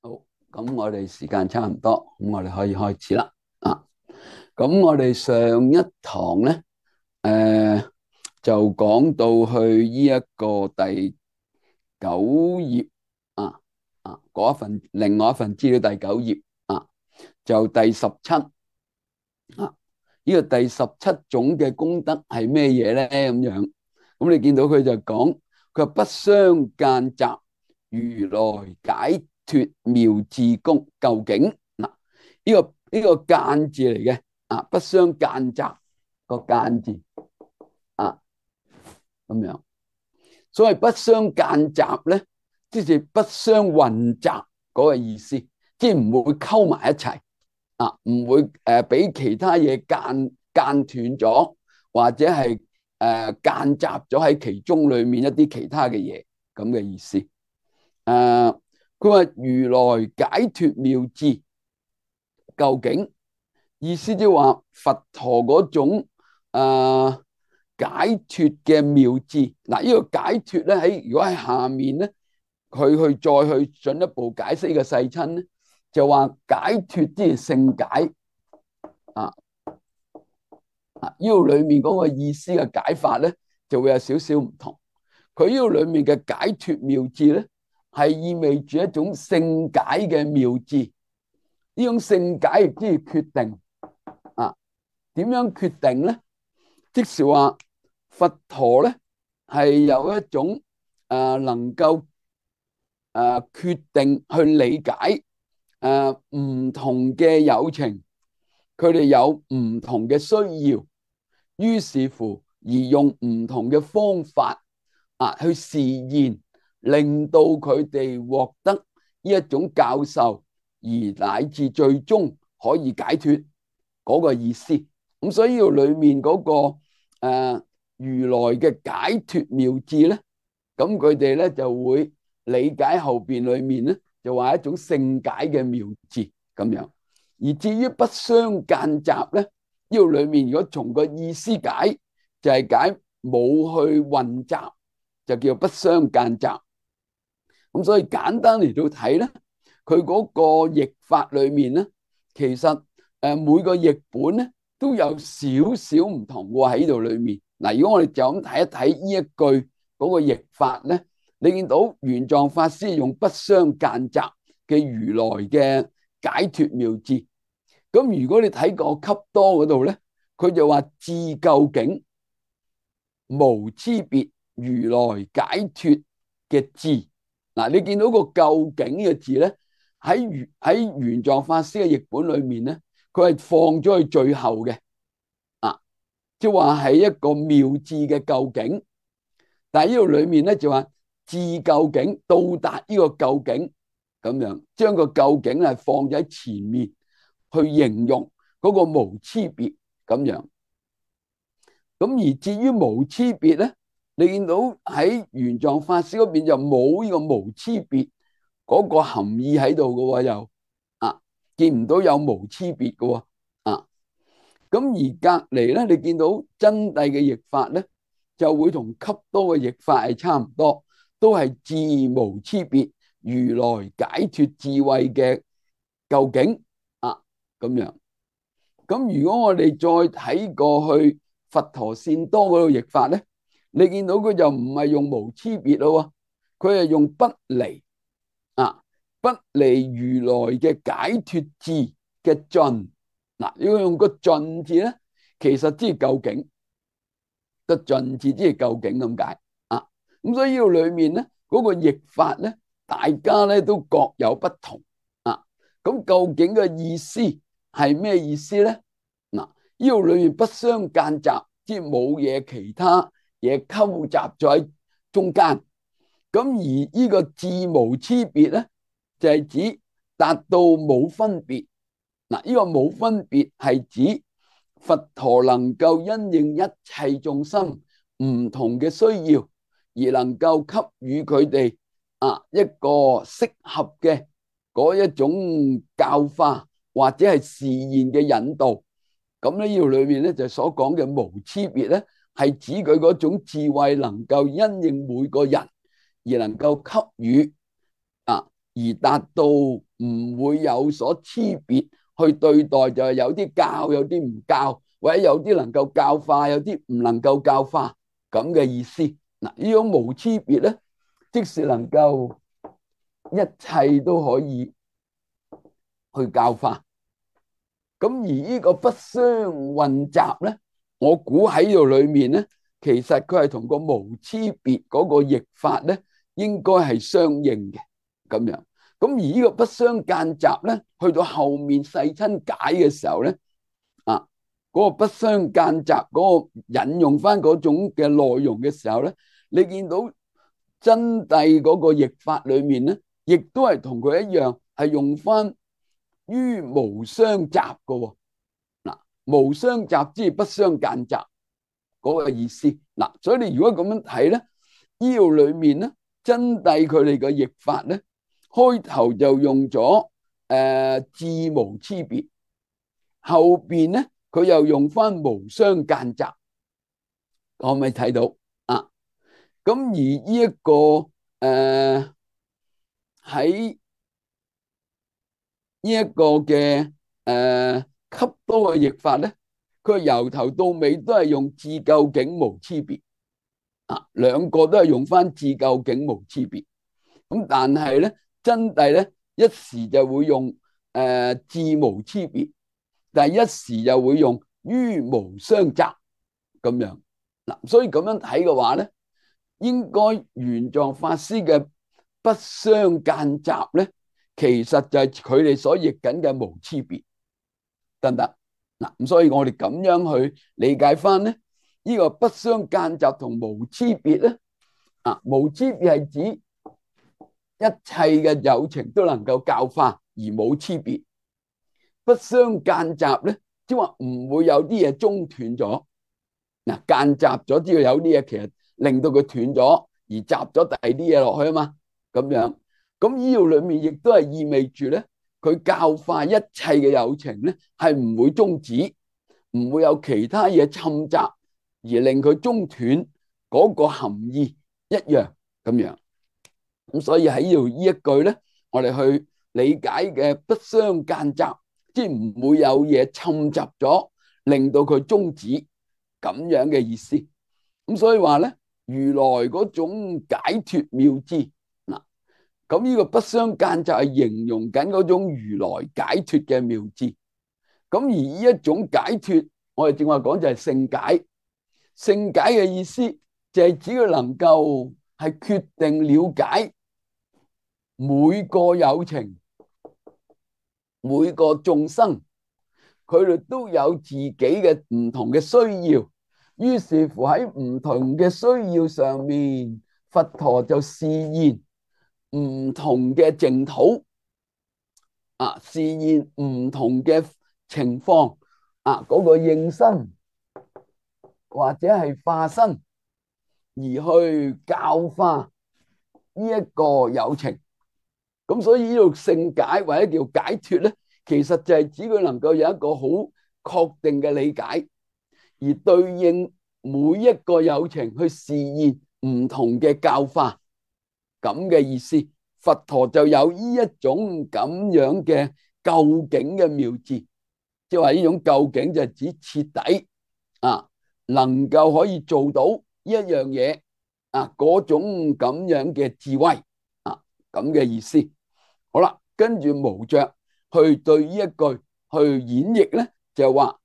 好，咁我哋時間差唔多，咁我哋可以開始啦。咁我哋上一堂咧，誒、就講到去呢一個第九頁啊嗰一份另外一份資料第九頁就第十七呢個第十七種嘅功德係咩嘢咧？咁樣，咁你見到佢就講，佢話不相間雜，如來解脫妙智功究竟呢個間字嚟嘅不相間雜個間字咁樣。所謂不相間雜咧，即係不相混雜嗰個意思，即係唔會溝埋一齊唔會俾其他嘢間斷咗，或者係間雜咗喺其中裏面一啲其他嘅嘢咁嘅意思。佢話如來解脫妙智究竟，意思即係話佛陀嗰種解脫嘅妙智。嗱，呢個解脫咧如果喺下面咧，佢再去進一步解釋呢個世親咧，就話解脫即係勝解呢度裏面嗰個意思嘅解法咧，就會有少少唔同。佢呢度裏面嘅解脫妙智咧，係意味住一種勝解嘅妙智。呢種勝解亦即係決定點樣決定咧？即是話佛陀咧係有一種能夠決定去理解唔同嘅有情，佢哋有唔同嘅需要，於是乎而用唔同嘅方法去示現，令到佢哋獲得呢一種教授，而乃至最終可以解脫嗰個意思。咁所以呢度裏面嗰個如來嘅解脫妙智咧，咁佢哋咧就會理解後邊裏面咧就話一種勝解嘅妙智咁樣。而至於不相間雜咧，呢度裏面如果從個意思解，就係解冇去混雜，就叫不相間雜。咁所以簡單嚟到睇咧，佢嗰個譯法裏面咧，其實每個譯本咧都有少少唔同喎喺呢度裏面。嗱，如果我哋就咁睇一睇呢一句嗰個譯法咧，你見到玄奘法師用不相間雜嘅如來嘅解脫妙智。咁如果你睇個笈多嗰度咧，佢就話智究竟無差別如來解脫嘅智。嗱，你見到個究竟嘅字咧，喺玄奘法師嘅譯本裏面咧，佢係放咗去最後嘅即係話係一個妙智嘅究竟。但係呢度裏面咧就話智究竟到達呢個究竟咁樣，將個究竟係放咗喺前面去形容嗰個無差別咁樣。咁而至於無差別咧，你見到喺玄奘法師嗰邊就冇呢個無差別嗰個含義喺度嘅喎，又見唔到有無差別嘅喎咁而隔離咧，你見到真諦嘅譯法咧，就會同笈多嘅譯法係差唔多，都係智無差別如來解脫智慧嘅究竟咁樣。咁如果我哋再睇過去佛陀善多嗰度譯法咧，你見到佢就唔係用無差別咯，佢係用不離不離如來嘅解脫智嘅盡。嗱，如果用個盡字咧，其實即係究竟個盡字即係究竟咁解咁所以呢個裏面咧嗰個譯法咧，大家咧都各有不同咁究竟嘅意思係咩意思咧？嗱，呢度裏面不相間雜，即係冇嘢其他嘢溝雜咗喺中間。咁而呢個智無差別咧，就係指達到冇分別。嗱，呢個冇分別係指佛陀能夠因應一切眾生唔同嘅需要，而能夠給予佢哋一個適合嘅嗰一種教化或者係示現嘅引導。咁呢度裏面咧就所講嘅無差別咧，係指佢嗰種智慧能夠因應每個人而能夠給予而達到唔會有所區別去對待，就係有啲教，有啲唔教，或者有啲能夠教化，有啲唔能夠教化咁嘅意思。嗱，呢種無區別咧，即是能夠一切都可以去教化。咁而呢個不相混雜咧，我估喺度裏面咧，其實佢係同個無區別嗰個譯法咧，應該係相應嘅咁樣。咁而呢個不相間雜咧，去到後面世親解嘅時候咧，嗰個不相間雜嗰個引用翻嗰種嘅內容嘅時候咧，你見到真諦嗰個譯法裏面咧，亦都係同佢一樣，係用翻於無相雜嘅。嗱，無相雜之不相間雜嗰個意思。嗱，所以你如果咁樣睇咧，呢度裏面咧，真諦佢哋嘅譯法咧，開頭就用咗自無區別，後邊咧佢又用翻無相間雜，可唔可以睇到啊？咁而呢一個喺呢一個嘅笈多嘅譯法咧，佢由頭到尾都係用自究竟無區別啊，兩個都係用翻自究竟無區別。咁但係咧，真諦咧一時就會用自無區別，但係一時又會用於無相雜咁樣。嗱，所以咁樣睇嘅話咧，應該玄奘法師嘅不相間雜咧，其實就係佢哋所譯緊嘅無區別，得唔得？嗱，咁所以我哋咁樣去理解翻咧，呢個不相間雜同無區別咧，無區別係指一切嘅有情都能夠教化而冇區別，不相間雜咧，即係話唔會有啲嘢中斷咗。嗱，間雜咗，知道有啲嘢其實令到佢斷咗，而雜咗第二啲嘢落去啊嘛，咁樣。咁呢度裏面亦都係意味住咧，佢教化一切嘅有情咧，係唔會終止，唔會有其他嘢侵襲而令佢中斷嗰個含義一樣咁樣。咁所以喺呢度呢一句咧，我哋去理解嘅不相間雜，即係唔會有嘢侵襲咗，令到佢終止。咁樣嘅意思，咁所以話咧，如來嗰種解脫妙智嗱，咁呢個不相間就係形容緊嗰種如來解脫嘅妙智。咁而呢一種解脫，我哋正話講就係聖解。聖解嘅意思就係指佢能夠係決定了解每個有情、每個眾生，佢哋都有自己嘅唔同嘅需要。於是乎喺唔同嘅需要上面，佛陀就示現唔同嘅淨土，示現唔同嘅情況，嗰個應身或者係化身，而去教化呢一個有情。咁所以呢度聖解或者叫解脫咧，其實就係指佢能夠有一個好確定嘅理解，而對應每一個有情去示現唔同嘅教化咁嘅意思。佛陀就有呢一種咁樣嘅究竟嘅妙智，即係話呢種究竟就係指徹底能夠可以做到呢一樣嘢嗰種咁樣嘅智慧咁嘅意思。好啦，跟住無着去對呢一句去演繹咧，就話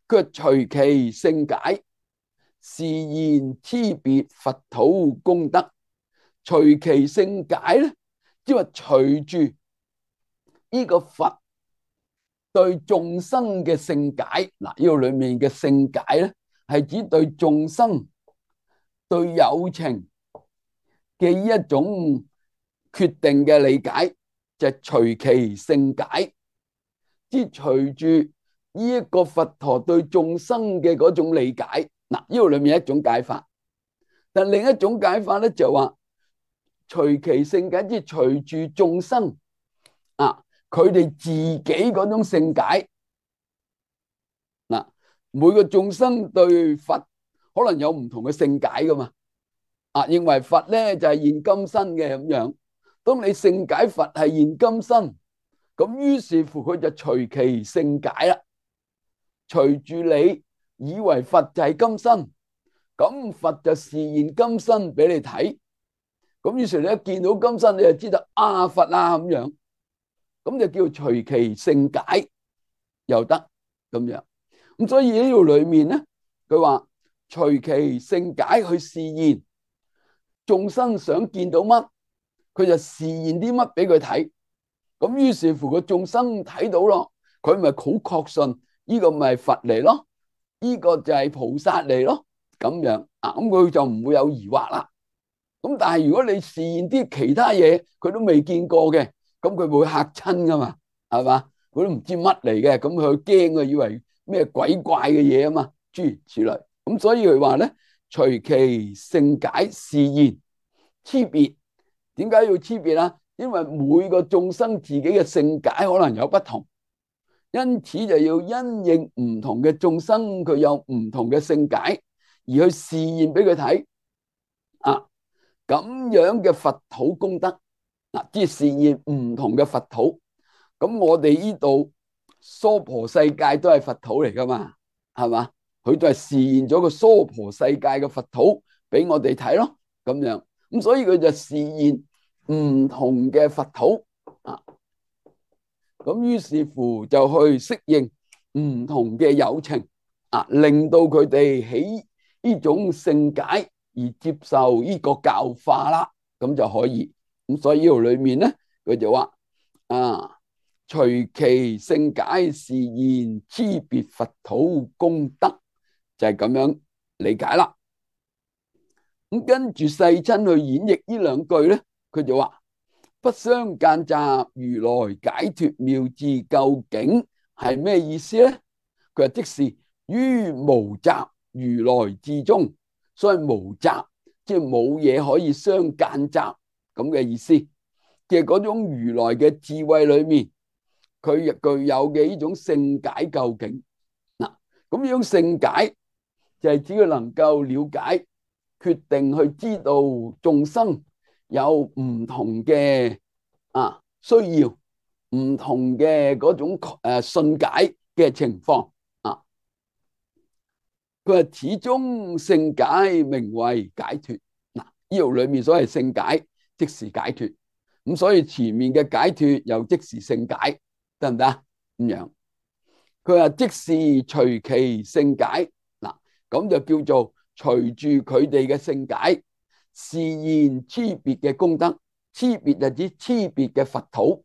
佢隨其聖解，示現差別佛土功德。隨其聖解咧，即係話隨住呢個佛對眾生嘅聖解。嗱，呢個裏面嘅聖解咧，係指對眾生、對有情嘅呢一種決定嘅理解，就係隨其聖解，即係隨住呢一個佛陀對眾生嘅嗰種理解。嗱，呢個裏面一種解法，但另一種解法咧就話隨其聖解，即係隨住眾生佢哋自己嗰種聖解。嗱，每個眾生對佛可能有唔同嘅聖解噶嘛，認為佛咧就係現今身嘅咁樣。當你聖解佛係現今身，咁於是乎佢就隨其性解啦。隨住你以為佛就係今生，咁佛就示現今生俾你睇。咁於是你一見到今生，你就知道啊佛啊咁樣，咁就叫隨其性解又得咁樣。咁所以呢度裏面咧，佢話隨其性解去示現眾生想見到乜，佢就示現啲乜俾佢睇。咁於是乎個眾生睇到咯，佢咪好確信呢個咪佛嚟咯，呢個就係菩薩嚟咯，咁樣啊，咁佢就唔會有疑惑啦。咁但係如果你示現啲其他嘢，佢都未見過嘅，咁佢會嚇親噶嘛，係嘛？佢都唔知乜嚟嘅，咁佢驚啊，以為咩鬼怪嘅嘢啊嘛，諸如此類。咁所以佢話咧，隨其性解示現差別。點解要差別啊？因為每個眾生自己嘅性解可能有不同，因此就要因應唔同嘅眾生，佢有唔同嘅性解，而去示現俾佢睇啊。咁樣嘅佛土功德嗱，即係示現唔同嘅佛土。咁我哋呢度娑婆世界都係佛土嚟噶嘛，係嘛？佢都係示現咗個娑婆世界嘅佛土俾我哋睇咯，咁樣。咁所以佢就示現唔同嘅佛土啊。咁於是乎就去適應唔同嘅有情啊，令到佢哋起呢種性解而接受呢個教化啦，咁就可以。咁所以呢度裏面咧，佢就話啊，隨其性解示現差別佛土功德，就係咁樣理解啦。咁跟住世親去演繹呢兩句咧，佢就話不相間雜，如來解脫妙智究竟係咩意思咧？佢話即是於無雜如來智中，所以無雜即係冇嘢可以相間雜咁嘅意思。嘅嗰種如來嘅智慧裏面，佢亦具有嘅呢種性解究竟嗱，咁呢種性解就係指佢能夠了解、決定去知道眾生有唔同嘅需要，唔同嘅嗰種信解嘅情況啊。佢話始終性解名為解脫嗱，呢度裏面所謂性解即是解脫，咁所以前面嘅解脫又即是性解，得唔得啊？咁樣佢話即是隨其性解嗱，咁就叫做隨住佢哋嘅性解示現差別嘅功德。差別就指差別嘅佛土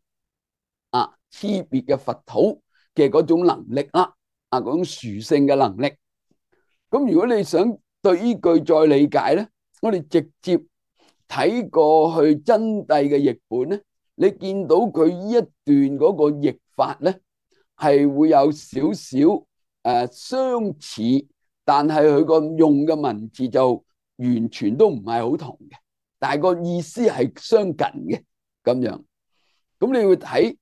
啊，差別嘅佛土嘅嗰種能力啦，嗰種殊勝嘅能力。咁如果你想對呢句再理解咧，我哋直接睇過去真諦嘅譯本咧，你見到佢呢一段嗰個譯法咧，係會有少少相似，但係佢個用嘅文字就完全都唔係好同嘅。但係個意思係相近嘅咁樣，咁你會睇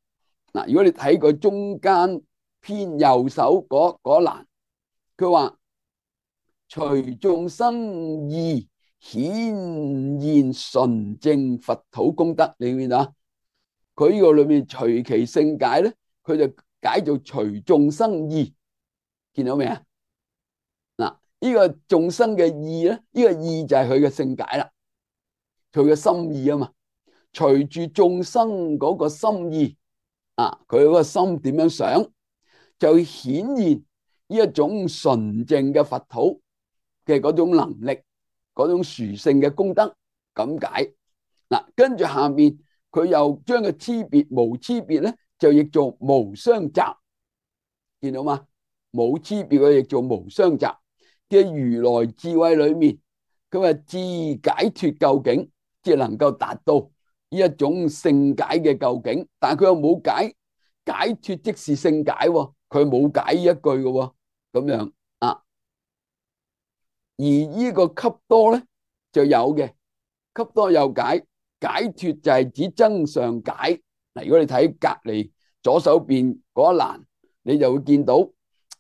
嗱，如果你睇佢中間偏右手嗰欄，佢話隨眾生意顯現純正佛土功德，你見到啊？佢呢個裏面隨其性解咧，佢就解做隨眾生意，見到未啊？嗱，呢個眾生嘅意咧，呢個意就係佢嘅性解啦。佢嘅心意啊嘛，隨住眾生嗰個心意佢嗰個心點樣想，就顯現呢一種純正嘅佛土嘅嗰種能力，嗰種殊勝嘅功德咁解。嗱，跟住下面佢又將個差別無差別咧，就譯做無相雜，見到嘛？冇差別佢譯做無相雜嘅如來智慧裏面，佢話智解脫究竟。即係能夠達到呢一種性解嘅究竟，但係佢又冇解脫即是性解，佢冇解呢一句嘅咁樣啊。而呢個笈多咧就有嘅，笈多有解脫就係指增上解嗱。如果你睇隔籬左手邊嗰一欄，你就會見到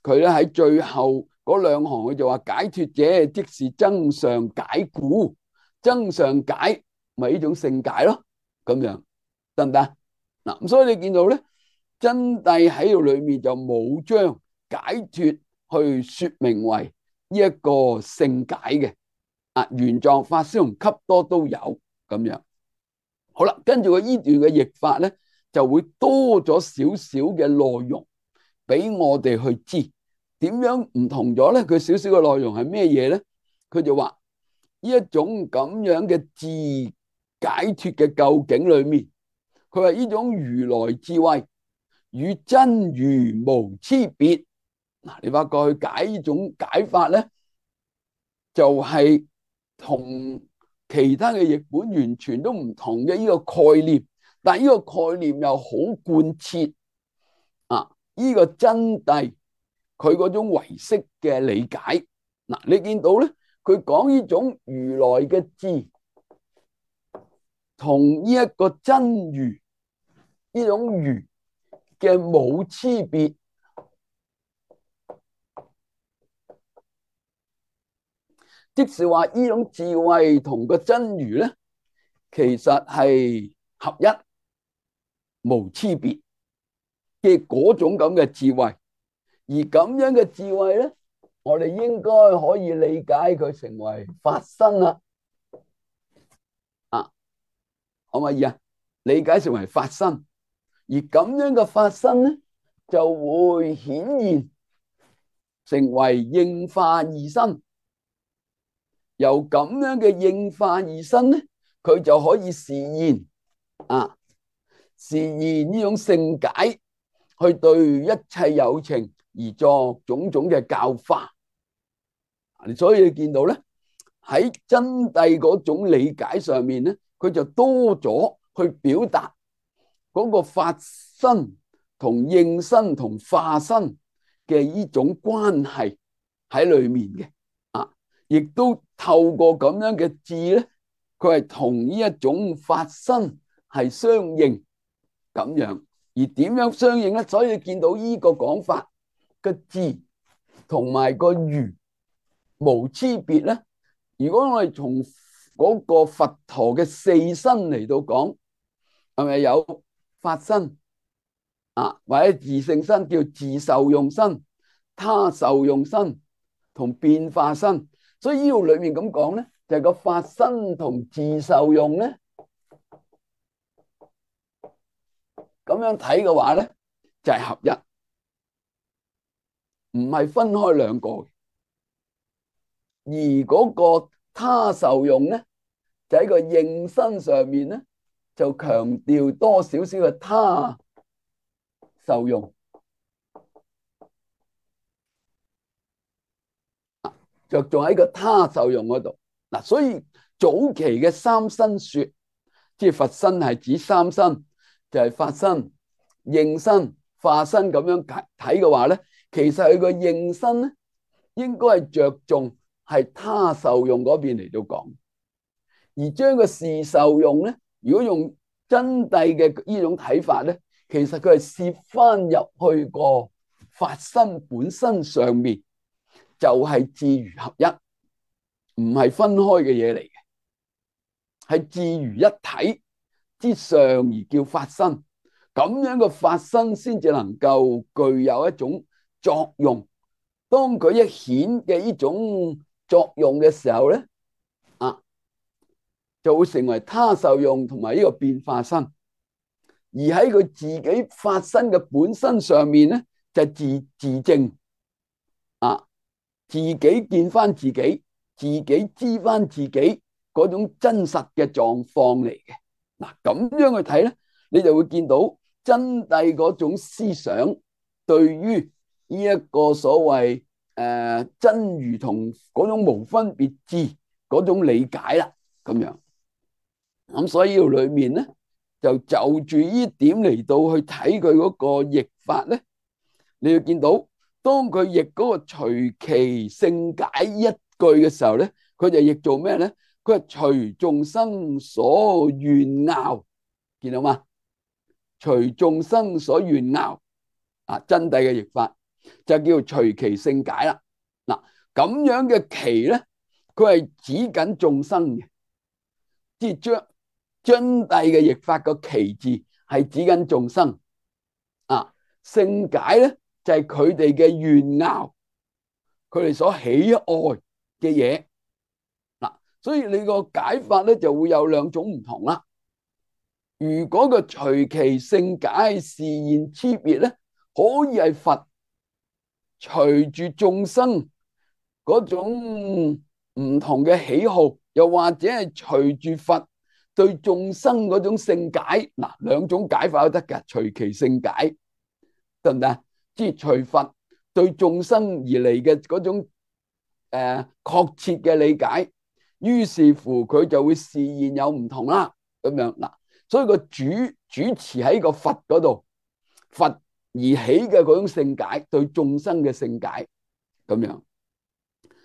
佢咧喺最後嗰兩行，佢就話解脫者即是增上解故，增上解咪呢種性解咯，咁樣得唔得嗱？咁所以你見到咧，真諦喺度裏面就冇將解脫去說明為呢一個聖解嘅。玄奘法師同笈多都有咁樣。好啦，跟住佢呢段嘅譯法咧，就會多咗少少嘅內容俾我哋去知點樣唔同咗咧。佢少少嘅內容係咩嘢咧？佢就話呢一種咁樣嘅自解脫嘅究竟裏面，佢話呢種如來智慧與真如無差別。嗱，你發覺去解呢種解法咧，就係同其他嘅譯本完全都唔同嘅呢個概念，但係呢個概念又好貫徹呢個真諦佢嗰種唯識嘅理解。嗱，你見到咧，佢講呢種如來嘅智同呢一個真如呢種如嘅冇差別，即是話呢種智慧同個真如咧，其實係合一無差別嘅嗰種咁嘅智慧。而咁樣嘅智慧咧，我哋應該可以理解佢成為法身啦。可唔可以理解成為法身？而咁樣嘅法身咧，就會顯現成為應化二身。由咁樣嘅應化二身咧，佢就可以示現示現呢種聖解，去對一切有情而作種種嘅教化。所以你見到咧，喺真諦嗰種理解上面咧，佢就多咗去表達嗰個法身同應身同化身嘅呢種關係喺裏面嘅。亦都透過咁樣嘅智咧，佢係同呢一種法身係相應咁樣。而點樣相應咧？所以你見到呢個講法嘅智同埋個如無差別咧。如果我哋從嗰個佛陀嘅四身嚟到講，係咪有法身或者自性身，叫自受用身、他受用身同變化身？所以呢度裏面咁講咧，就係個法身同自受用咧，咁樣睇嘅話咧，就係合一，唔係分開兩個。而嗰個他受用咧，就喺個應身上面咧，就強調多少少嘅他受用，着重喺個他受用嗰度。所以早期嘅三身說，即係佛身係指三身，就係法身、應身、化身咁樣睇嘅話咧，其實佢個應身咧，應該係着重係他受用嗰邊嚟到講，而將個事受用咧，如果用真諦嘅呢種睇法咧，其實佢係攝翻入去個法身本身上面，就係智如合一，唔係分開嘅嘢嚟嘅，係智如一體之上而叫法身。咁樣嘅法身先至能夠具有一種作用。當佢一顯嘅呢種作用嘅時候咧，就會成為他受用同埋呢個變化身。而喺佢自己法身嘅本身上面咧，就係自證自己見翻自己，自己知翻自己嗰種真實嘅狀況嚟嘅。咁樣去睇咧，你就會見到真諦嗰種思想對於呢一個所謂真如同嗰種無分別智嗰種理解啦，咁樣。咁所以呢度裏面咧，就住呢點嚟到去睇佢嗰個譯法咧，你要見到當佢譯嗰個隨其聖解一句嘅時候咧，佢就譯做咩咧？佢係隨眾生所願拗，見到嘛？隨眾生所願拗真諦嘅譯法就叫隨其聖解啦。咁樣嘅其咧，佢係指緊眾生嘅，即係將真諦嘅譯法個其字係指緊眾生。啊，聖解咧就係佢哋嘅炫耀，佢哋所喜愛嘅嘢。嗱，所以你個解法咧就會有兩種唔同啦。如果個隨其聖解示現差別咧，可以係佛隨住眾生嗰種唔同嘅喜好，又或者係隨住佛對眾生嗰種聖解。嗱，兩種解法都得㗎，隨其聖解得唔得？即係隨佛對眾生而嚟嘅嗰種確切嘅理解，於是乎佢就會示現有唔同啦。咁樣嗱，所以個主持喺個佛嗰度，佛而起嘅嗰種聖解，對眾生嘅聖解咁樣。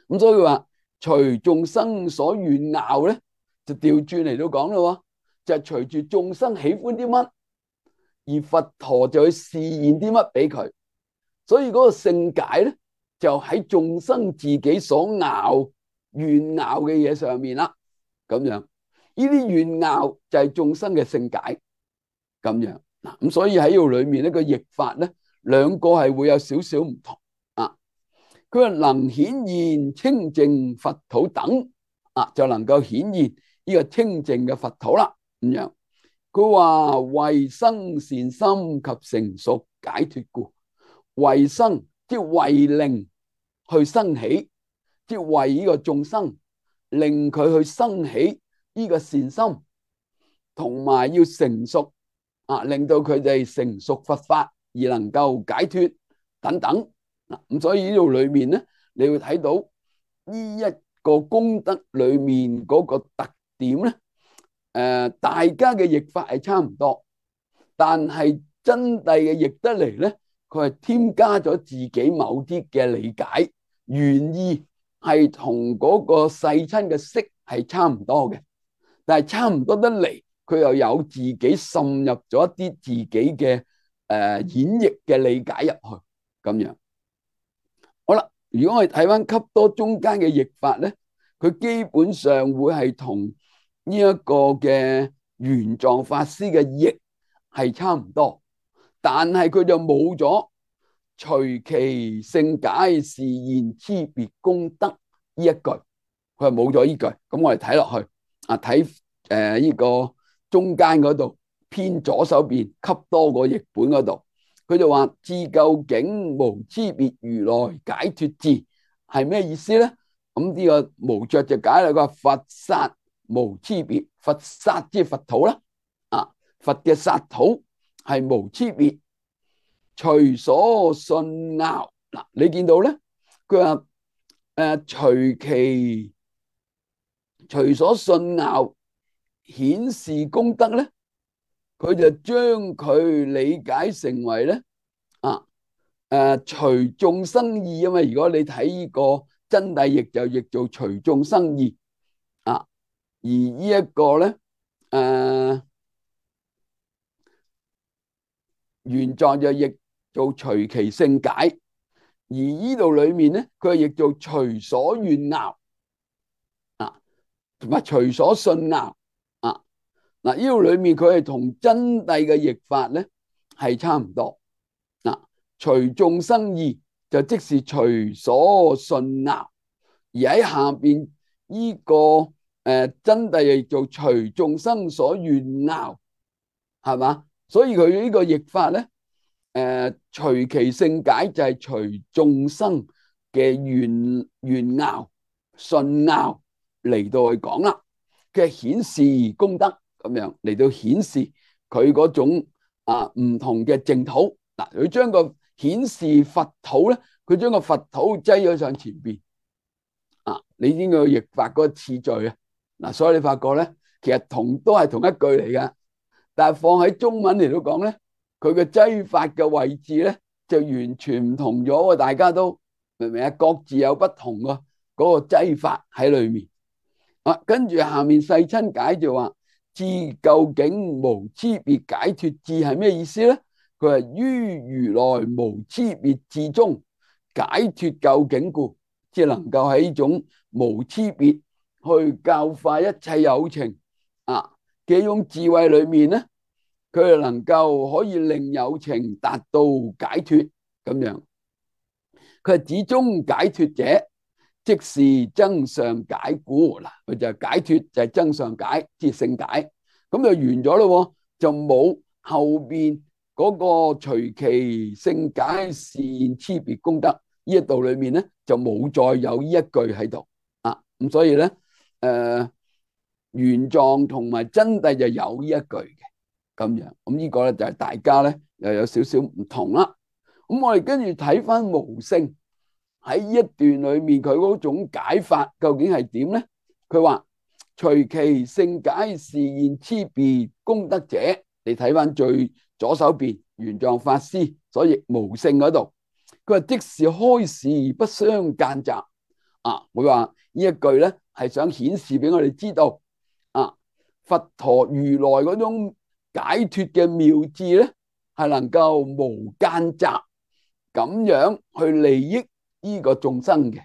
咁所以話隨眾生所願拗咧，就調轉嚟到講咯，就係隨住眾生喜歡啲乜，而佛陀就去示現啲乜俾佢。所以嗰個聖解咧，就喺眾生自己所拗願拗嘅嘢上面啦。咁樣呢啲願拗就係眾生嘅聖解。咁樣嗱，咁所以喺度裏面呢個譯法咧，兩個係會有少少唔同啊。佢話能顯現清淨佛土等啊，就能夠顯現呢個清淨嘅佛土啦。咁樣佢話為生善心及成熟解脫故，為生即係為令去生起，即係為呢個眾生令佢去生起呢個善心，同埋要成熟啊，令到佢哋成熟佛法而能夠解脫等等。咁所以呢度裏面咧，你會睇到呢一個功德裏面嗰個特點咧。大家嘅譯法係差唔多，但係真諦嘅譯得嚟咧，佢係添加咗自己某啲嘅理解，原意係同嗰個世親嘅釋係差唔多嘅，但係差唔多得嚟，佢又有自己滲入咗一啲自己嘅演繹嘅理解入去，咁樣。好啦，如果我哋睇翻笈多中間嘅譯法咧，佢基本上會係同呢一個嘅玄奘法師嘅譯係差唔多，但係佢就冇咗隨其聖解示現差別功德呢一句，佢係冇咗呢句。咁我哋睇落去啊，睇呢個中間嗰度偏左手邊笈多個譯本嗰度，佢就話至究竟無差別如來解脫智係咩意思咧？咁呢個無著就解啦，佢話佛剎無差別，佛剎即係佛土啦，啊，佛嘅剎土係無差別，隨所信拗。嗱，你見到咧，佢話隨所信拗顯示功德咧，佢就將佢理解成為咧隨眾生意啊嘛。如果你睇呢個真諦譯就譯做隨眾生意啊，而呢一個咧玄奘就譯做隨其聖解，而呢度裏面咧佢係譯做隨所願拗啊，同埋隨所信拗啊。嗱，呢度裏面佢係同真諦嘅譯法咧係差唔多。隨眾生意就即是隨所信拗，而喺下邊呢個真諦譯做隨眾生所願拗，係嘛？所以佢呢個譯法咧，隨其聖解就係隨眾生嘅願拗、信拗嚟到去講啦，嘅顯示功德咁樣嚟到顯示佢嗰種唔同嘅淨土。嗱，佢將個顯示佛土咧，佢將個佛土擠咗上前邊啊！你知個譯法嗰個次序啊，嗱，所以你發覺咧，其實都係同一句嚟噶，但係放喺中文嚟到講咧，佢嘅擠法嘅位置咧就完全唔同咗，大家都明唔明啊？各自有不同個嗰個擠法喺裏面啊。跟住下面世親解就話：至究竟無差別解脫智係咩意思咧？佢係於如來無差別智中解脫究竟故，即係能夠喺呢種無差別去教化一切有情嘅一種智慧裏面咧，佢係能夠可以令有情達到解脫咁樣。佢係指中解脫者，即是增上解故嗱，佢就係解脫就係增上解，即係勝解，咁就完咗咯，就冇後邊嗰個隨其勝解示現差別功德呢一度裏面咧，就冇再有呢一句喺度啊。咁所以咧，原狀同埋真諦就有呢一句嘅咁樣。咁呢個咧就係大家咧又有少少唔同啦。咁我哋跟住睇翻無勝。喺呢一段裏面，佢嗰種解法究竟係點咧？佢話隨其勝解示現差別功德者，你睇翻最左手邊玄奘法師所譯無勝嗰度，佢話即是開示不相間雜啊！會話呢一句咧係想顯示俾我哋知道啊，佛陀如來嗰種解脫嘅妙智咧，係能夠無間雜咁樣去利益呢個眾生嘅。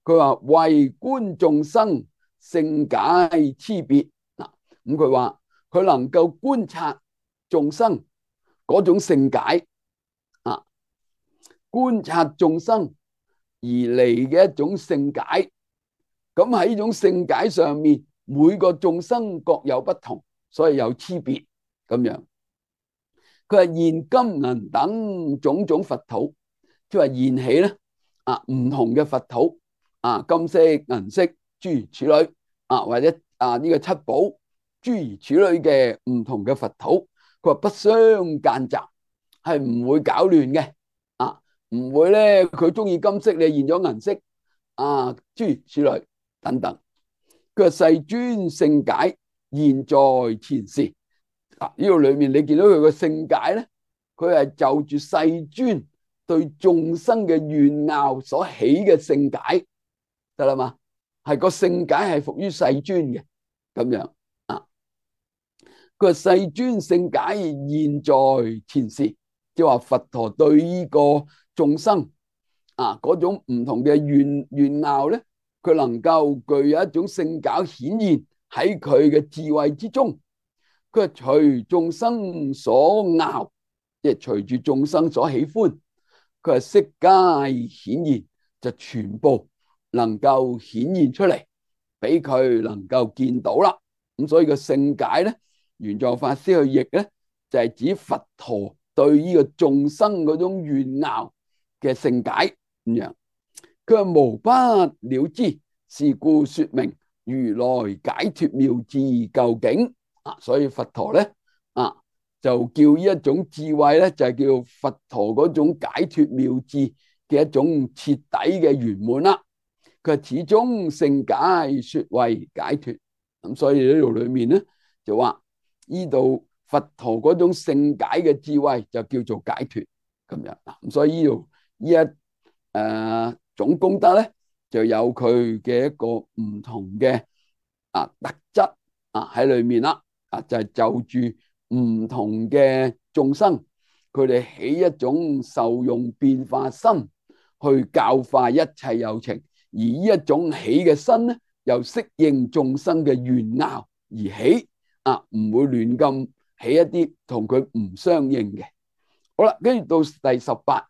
佢話為觀眾生勝解差別嗱，咁佢話佢能夠觀察眾生嗰種勝解啊，觀察眾生而嚟嘅一種勝解。咁喺呢種勝解上面，每個眾生各有不同，所以有差別咁樣。佢係現金銀等種種佛土，即係現起咧啊，唔同嘅佛土啊，金色、銀色諸如此類啊，或者啊呢個七寶諸如此類嘅唔同嘅佛土，佢話不相間雜，係唔會搞亂嘅啊，唔會咧佢中意金色，你現咗銀色啊，諸如此類等等。佢話世尊勝解現在前時啊，呢度裏面你見到佢個勝解咧，佢係就住世尊對眾生嘅怨拗所起嘅勝解得啦嘛，係個勝解係服於世尊嘅咁樣啊。佢話世尊勝解現在前時，即係話佛陀對呢個眾生啊嗰種唔同嘅怨拗咧，佢能夠具有一種勝解顯現喺佢嘅智慧之中。佢係隨眾生所拗，即係隨住眾生所喜歡，佢係悉皆顯現，就全部能夠顯現出嚟，俾佢能夠見到啦。咁所以個勝解咧，玄奘法師去譯咧，就係指佛陀對呢個眾生嗰種怨拗嘅勝解咁樣。佢係無不了知，是故說明如來解脫妙智究竟。啊，所以佛陀咧啊，就叫呢一種智慧咧，就係叫佛陀嗰種解脫妙智嘅一種徹底嘅圓滿啦。佢係始終勝解說為解脫，咁所以呢度裏面咧就話呢度佛陀嗰種勝解嘅智慧就叫做解脫咁樣。咁所以呢度呢一種功德咧，就有佢嘅一個唔同嘅特質喺裏面啦。就係就住唔同嘅眾生，佢哋起一種受用變化心去教化一切有情，而呢一種起嘅身咧，又適應眾生嘅怨拗而起唔會亂咁起一啲同佢唔相應嘅。好啦，跟住到第18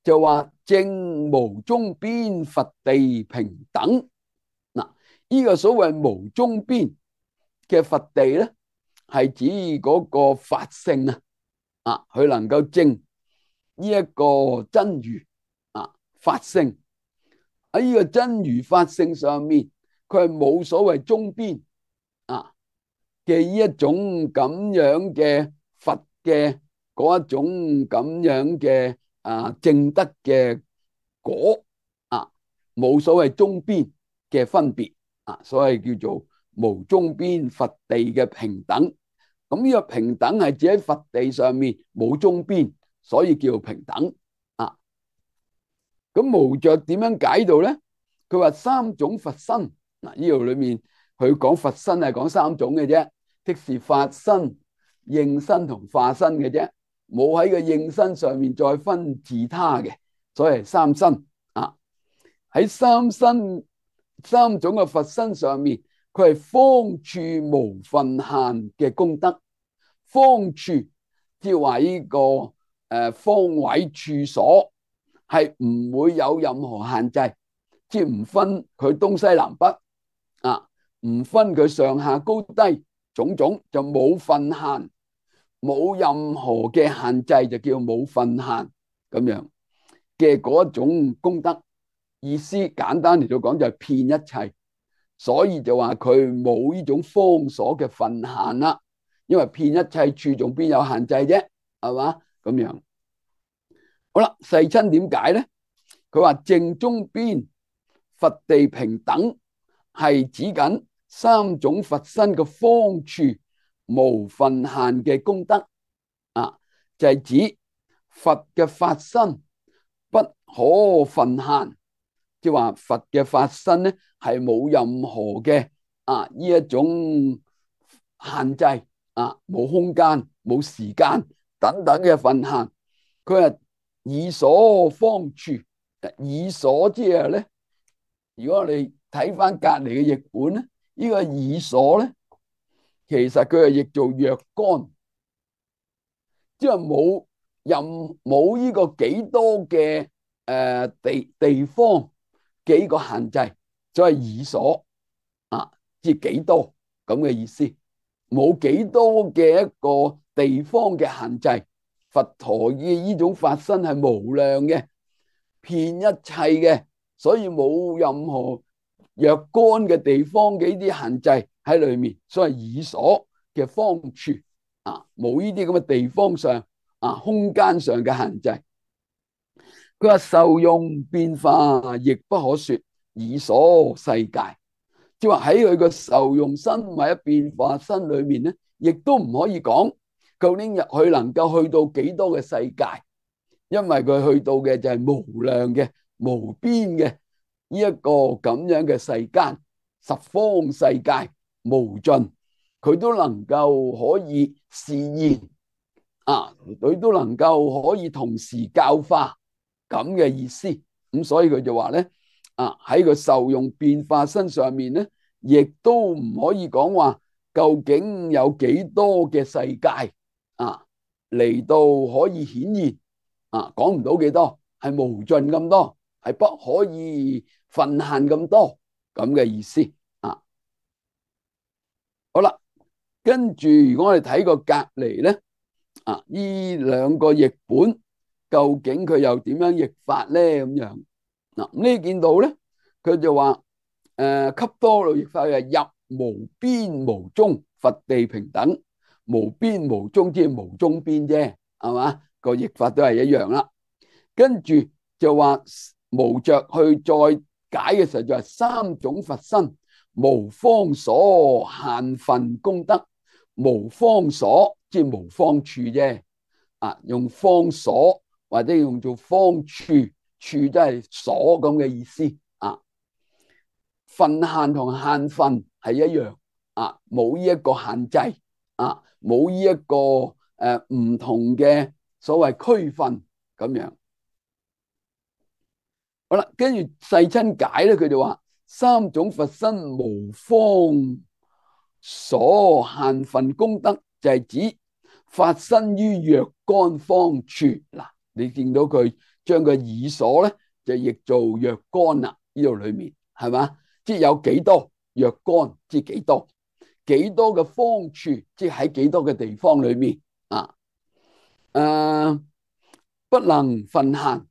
就話正無中邊佛地平等嗱，呢個所謂無中邊嘅佛地咧，係指嗰個法性佢能夠證呢一個真如法性喺呢個真如法性上面，佢係冇所謂中邊嘅呢一種咁樣嘅佛嘅嗰一種咁樣嘅證德嘅果冇所謂中邊嘅分別所以叫做無中邊佛地嘅平等。咁呢個平等係指喺佛地上面冇中邊，所以叫平等咁無著點樣解到咧？佢話三種佛身呢度裏面佢講佛身係講三種嘅啫，即是法身、應身同化身嘅啫，冇喺個應身上面再分自他嘅，所以係三身喺三身三種嘅佛身上面，佢係方處無份限嘅功德，方處，即係話呢個方位處所係唔會有任何限制，即係唔分佢東西南北啊，唔分佢上下高低種種，就冇分限，冇任何嘅限制，就叫冇分限咁樣嘅嗰種功德。意思簡單嚟到講就係遍一切，所以就話佢冇呢種方所嘅分限啦。因為遍一切處仲邊有限制啫，係嘛咁樣。好啦，世親點解咧？佢話正中邊佛地平等係指緊三種佛身嘅方處無分限嘅功德啊，就係指佛嘅法身不可分限，即係話佛嘅法身咧係冇任何嘅呢一種限制啊，冇空間、冇時間等等嘅分限。佢係以所方處，以所即係咧，如果我哋睇翻隔籬嘅譯本咧，呢個以所咧，其實佢係譯做若干，即係冇呢個幾多嘅地方幾個限制，所以以所即係幾多咁嘅意思，冇幾多嘅一個地方嘅限制。佛陀嘅呢種法身係無量嘅，遍一切嘅，所以冇任何若干嘅地方嘅呢啲限制喺裏面，所以以所嘅方處冇呢啲咁嘅地方上空間上嘅限制。佢話受用變化亦不可說以所世界，即係話喺佢個受用身或者變化身裏面咧，亦都唔可以講究竟入去能夠去到幾多嘅世界，因為佢去到嘅就係無量嘅、無邊嘅呢一個咁樣嘅世間，十方世界無盡，佢都能夠可以示現佢都能夠可以同時教化咁嘅意思。咁所以佢就話咧喺個受用變化身上面咧，亦都唔可以講話究竟有幾多嘅世界嚟到可以顯現講唔到幾多，係無盡咁多，係不可以分限咁多咁嘅意思好啦，跟住如果我哋睇個隔離咧呢兩個譯本究竟佢又點樣譯法咧？咁樣咁你見到咧，佢就話笈多羅譯法係入無邊無中，佛地平等，無邊無中即係無中邊啫，係嘛？個譯法都係一樣啦。跟住就話無着去再解嘅時候就係三種佛身無方所限分功德，無方所即係無方處啫用方所或者用做方處，處都係所咁嘅意思分限同限分係一樣冇呢一個限制冇呢一個唔同嘅所謂區分咁樣。好啦，跟住世親解咧，佢就話三種佛身無方所限分功德，就係指發生於若干方處。嗱，你見到佢將個以所咧就譯做若干啦，呢度裏面係嘛？即係有幾多若干，即係幾多嘅方處，即係喺幾多嘅地方裏面不能分限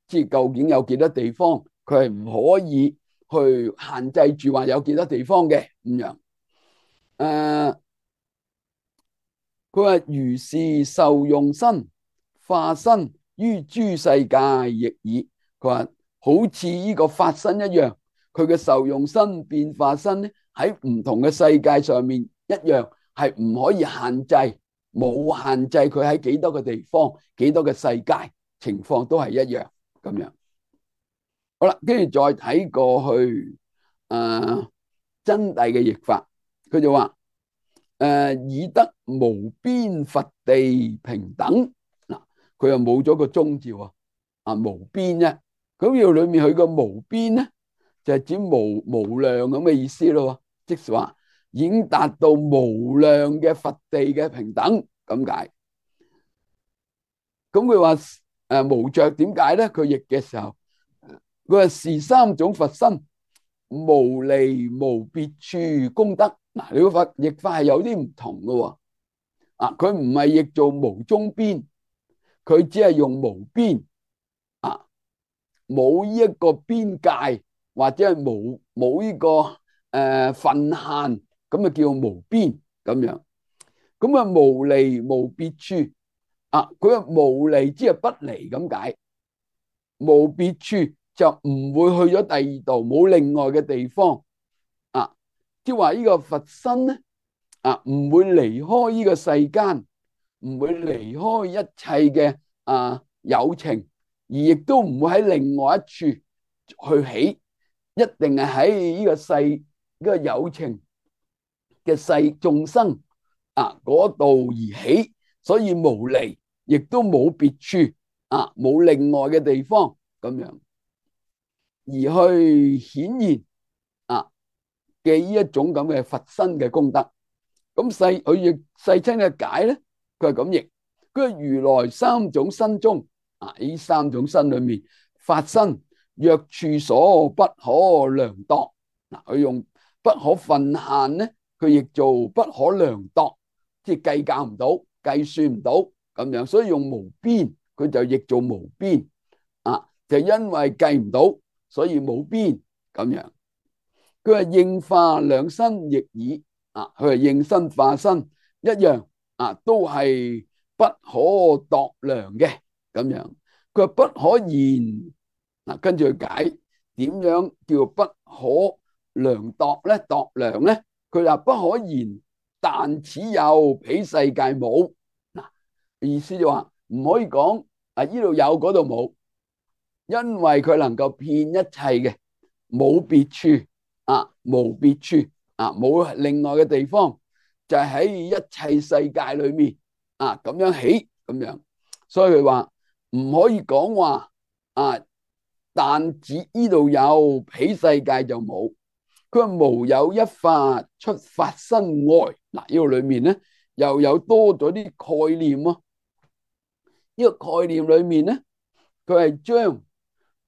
即係究竟有幾多地方，佢係唔可以去限制住話有幾多地方嘅咁樣。佢話如是受用身化身於諸世界亦爾。佢話好似呢個法身一樣，佢嘅受用身變化身咧喺唔同嘅世界上面一樣，係唔可以限制，冇限制佢喺幾多個地方、幾多個世界，情況都係一樣咁樣。好啦，跟住再睇過去真諦嘅譯法，佢就話以得無邊佛地平等。嗱，佢又冇咗個中字無邊啫。咁要裏面佢個無邊咧，就係指無量咁嘅意思咯。即是話已經達到無量嘅佛地嘅平等咁解。咁佢話無着點解咧？佢譯嘅時候，佢話是三種佛身，無離無別處功德。嗱，你個譯法係有啲唔同嘅喎。佢唔係譯做無中邊，佢只係用無邊。冇呢一個邊界，或者係冇呢個份限，咁啊叫無邊咁樣。咁啊無離無別處。佢話無離即係不離咁解，無別處就唔會去咗第二度，冇另外嘅地方。即係話呢個佛身咧，唔會離開呢個世間，唔會離開一切嘅有情，而亦都唔會喺另外一處去起，一定係喺呢個世呢個有情嘅世眾生嗰度而起，所以無離，亦都冇別處冇另外嘅地方咁樣，而去顯現嘅呢一種咁嘅佛身嘅功德。咁佢譯世親嘅解咧，佢係咁譯，佢係如來三種身中呢三種身裏面，法身若處所不可量度。佢用不可分限咧，佢譯做不可量度，即係計較唔到、計算唔到咁樣，所以用無邊，佢就譯做無邊就因為計唔到，所以冇邊咁樣。佢係應化兩身亦爾。佢係應身化身一樣都係不可度量嘅咁樣。佢話不可言跟住佢解點樣叫不可量度咧？度量咧，佢話不可言，但此有，彼世界冇。意思就話唔可以講呢度有嗰度冇，因為佢能夠遍一切嘅，冇別處無別處冇另外嘅地方，就係喺一切世界裏面咁樣起咁樣。所以佢話唔可以講話但指呢度有，彼世界就冇。佢話無有一法出法身外。呢個裏面咧又有多咗啲概念咯。呢個概念裏面咧，佢係將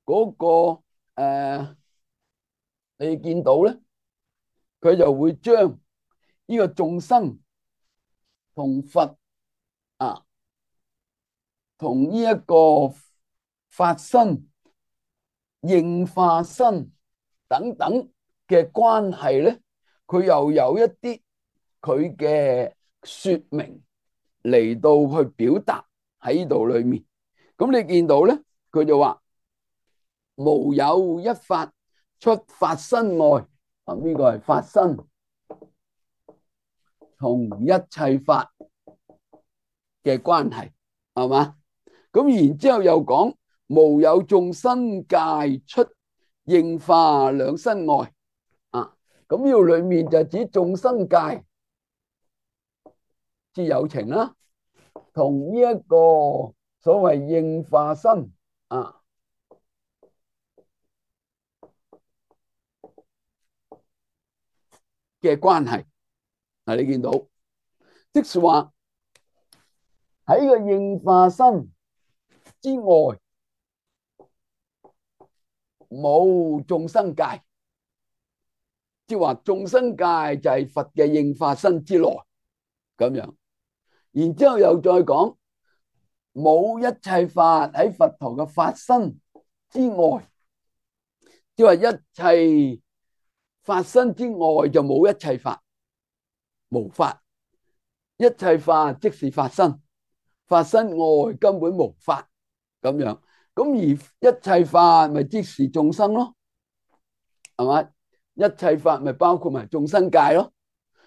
嗰個你見到咧，佢就會將呢個眾生同佛同呢一個法身、應化身等等嘅關係咧，佢又有一啲佢嘅說明嚟到去表達喺呢度裏面。咁你見到咧，佢就話無有一法出法身外。呢個係法身同一切法嘅關係，係嘛？咁然之後又講無有眾生界出應化兩身外。咁呢度裏面就指眾生界之有情啦，同呢一個所謂應化身嘅關係。你見到即是話喺個應化身之外冇眾生界，即係話眾生界就係佛嘅應化身之內咁樣。然之後又再講冇一切法喺佛陀嘅法身之外，即係話一切法身之外就冇一切法，無法。一切法即是法身，法身外根本無法咁樣。咁而一切法咪即是眾生咯，係嘛？一切法咪包括埋眾生界咯。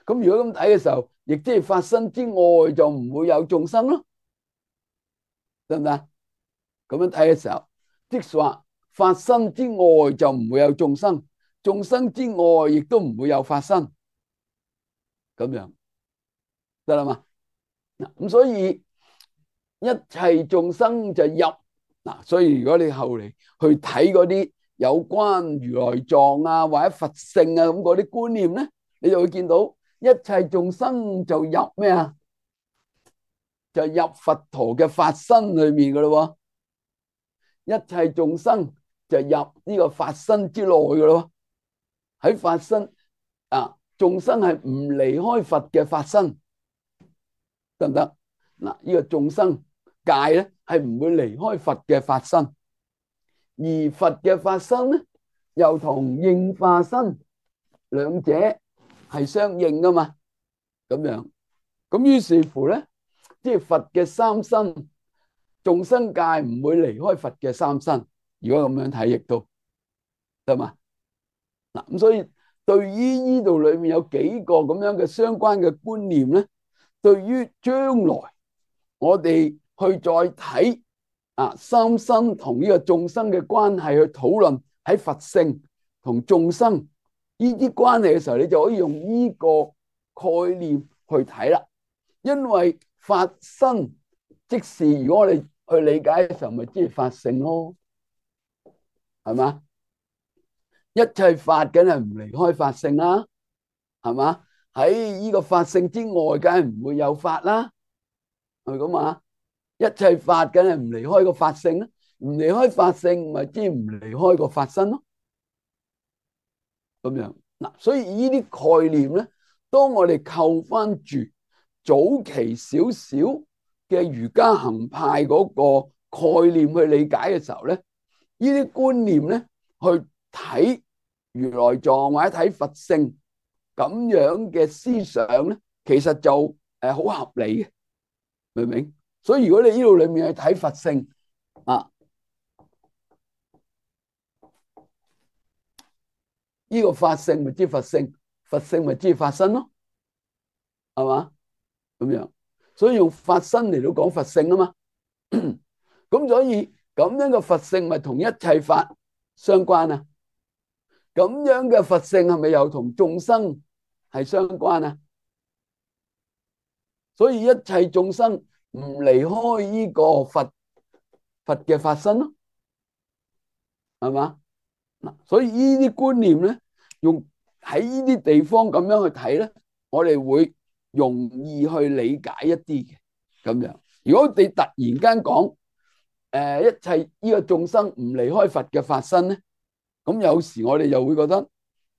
咁如果咁睇嘅時候，亦即係法身之外就唔會有眾生咯，得唔得？咁樣睇嘅時候，即係話法身之外就唔會有眾生，眾生之外亦都唔會有法身，咁樣得啦嘛？咁所以一切眾生就入所以如果你後嚟去睇嗰啲有關如來藏或者佛性咁嗰啲觀念咧，你就會見到一切眾生就入咩啊？就入佛陀嘅法身裏面噶咯喎，一切眾生就入呢個法身之內噶咯喎，喺法身啊，眾生係唔離開佛嘅法身，得唔得？嗱，呢個眾生界咧係唔會離開佛嘅法身，而佛嘅法身咧又同應化身兩者係相應噶嘛，咁樣，咁於是乎咧，即係佛嘅三身，眾生界唔會離開佛嘅三身。如果咁樣睇，亦都得嘛？嗱，咁所以對於呢度裏面有幾個咁樣嘅相關嘅觀念咧，對於將來我哋去再睇啊三身同呢個眾生嘅關係去討論喺佛性同眾生呢啲關係嘅時候，你就可以用呢個概念去睇啦。因為法身即是如果我哋去理解嘅時候，咪即係法性咯，係嘛？一切法梗係唔離開法性啦，係嘛？喺呢個法性之外，梗係唔會有法啦，係咪咁啊？一切法梗係唔離開個法性啦，唔離開法性，咪即係唔離開個法身咯。咁樣嗱，所以呢啲概念咧，當我哋扣翻住早期少少嘅瑜伽行派嗰個概念去理解嘅時候咧，呢啲觀念咧去睇如來藏或者睇佛性咁樣嘅思想咧，其實就好合理嘅，明唔明？所以如果你呢度裏面去睇佛性啊，呢個法性咪知佛性，佛性咪知法身咯，係嘛？咁樣，所以用法身嚟到講佛性啊嘛。咁所以咁樣嘅佛性咪同一切法相關啊？咁樣嘅佛性係咪又同眾生係相關啊？所以一切眾生唔離開呢個佛嘅法身咯，係嘛？嗱，所以呢啲觀念咧，用喺呢啲地方咁樣去睇咧，我哋會容易去理解一啲嘅咁樣。如果你突然間講一切呢個眾生唔離開佛嘅法身咧，咁有時我哋又會覺得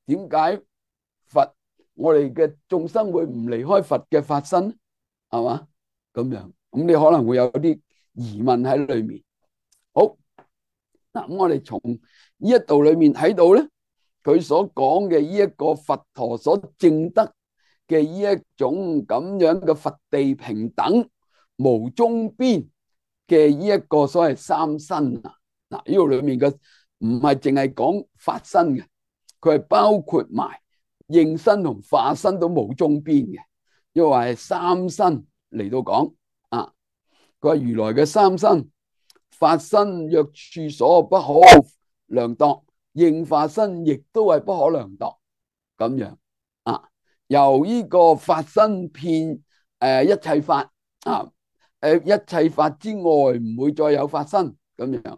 點解佛我哋嘅眾生會唔離開佛嘅法身，係嘛？咁樣，咁你可能會有啲疑問喺裏面。好，嗱，咁我哋從呢一度裏面睇到咧，佢所講嘅呢一個佛陀所證得嘅呢一種咁樣嘅佛地平等無中邊嘅呢一個所謂三身啊，嗱，呢度裏面嘅唔係淨係講法身嘅，佢係包括埋應身同化身都冇中邊嘅，因為係三身嚟到講啊。佢話如來嘅三身，法身若處所不可量度，應化身亦都係不可量度，咁樣啊。由呢個法身遍一切法啊，一切法之外唔會再有法身咁樣。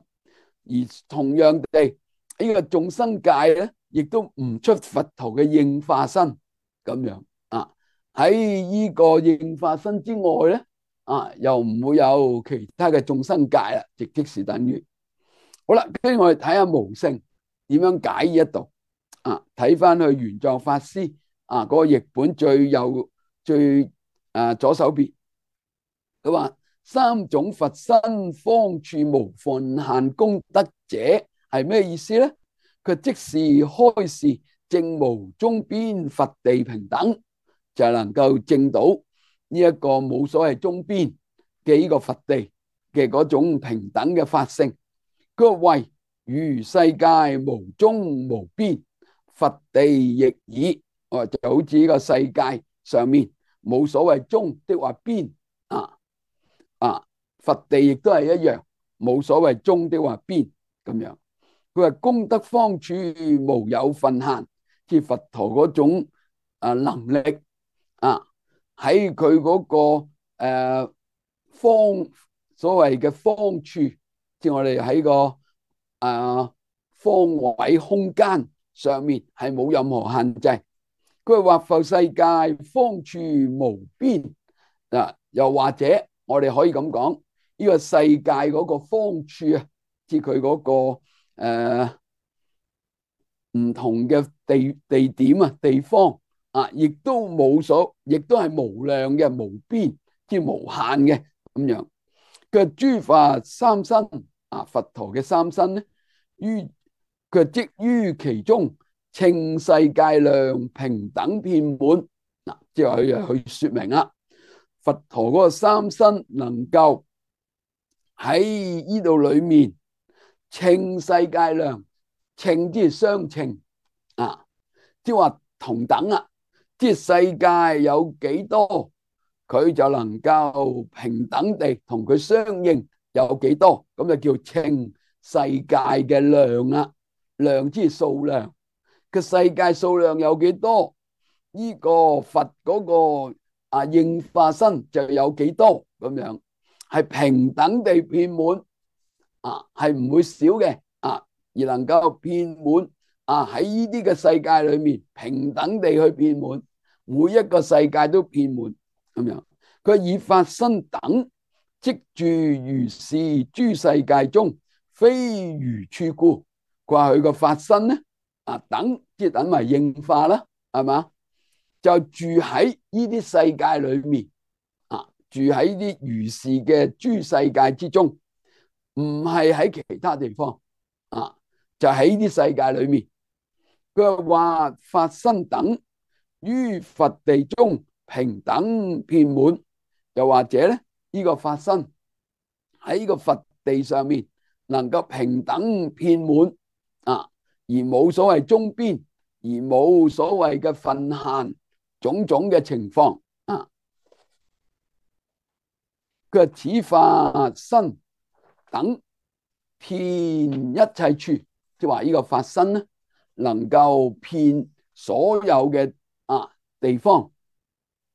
而同樣地，呢個眾生界咧，亦都唔出佛陀嘅應化身咁樣啊。喺呢個應化身之外咧，啊又唔會有其他嘅眾生界啦，即是等於好啦。跟住我哋睇下無性點樣解呢一度啊。睇翻去玄奘法師啊嗰個譯本最右最左手邊，佢話三種佛身方處無分限功德者係咩意思咧？佢即是開示證無中邊佛地平等，就係能夠證到呢一個冇所謂中邊嘅呢個佛地嘅嗰種平等嘅法性。佢話謂如世界無中無邊，佛地亦爾。就好似呢個世界上面冇所謂中的話邊佛地亦都係一樣，冇所謂中的話邊咁樣。佢話功德方處無有分限，即佛陀嗰種能力喺佢嗰個方所謂嘅方處，即我哋喺個方位空間上面係冇任何限制。佢話或復世界方處無邊啊，又或者我哋可以咁講，呢個世界嗰個方處啊，即係佢嗰個唔同嘅地點啊、地方啊，亦都係無量嘅、無邊即係無限嘅咁樣。佢諸法三身啊，佛陀嘅三身咧，佢即於其中，稱世界量平等遍滿。嗱，即係佢去說明啦，佛陀嗰個三身能夠喺呢度裏面稱世界量，稱即係相稱啊，即係話同等啊，即係世界有幾多，佢就能夠平等地同佢相應有幾多，咁就叫稱世界嘅量啦。量即係數量，個世界數量有幾多，呢個佛嗰個應化身就有幾多，咁樣係平等地遍滿啊，係唔會少嘅啊，而能夠遍滿啊，喺呢啲嘅世界裏面平等地去遍滿，每一個世界都遍滿咁樣。佢以法身等即住如是諸世界中，非餘處故。佢話佢個法身咧啊，等即係等為應化啦，係嘛？就住喺呢啲世界裏面啊，住喺啲如是嘅諸世界之中，唔係喺其他地方啊，就喺呢啲世界裏面。佢話法身等於佛地中平等遍滿，又或者咧呢個法身喺呢個佛地上面能夠平等遍滿啊，而冇所謂中邊，而冇所謂嘅分限，種種嘅情況啊。佢話此法身等遍一切處，即係話呢個法身咧，能夠遍所有嘅地方，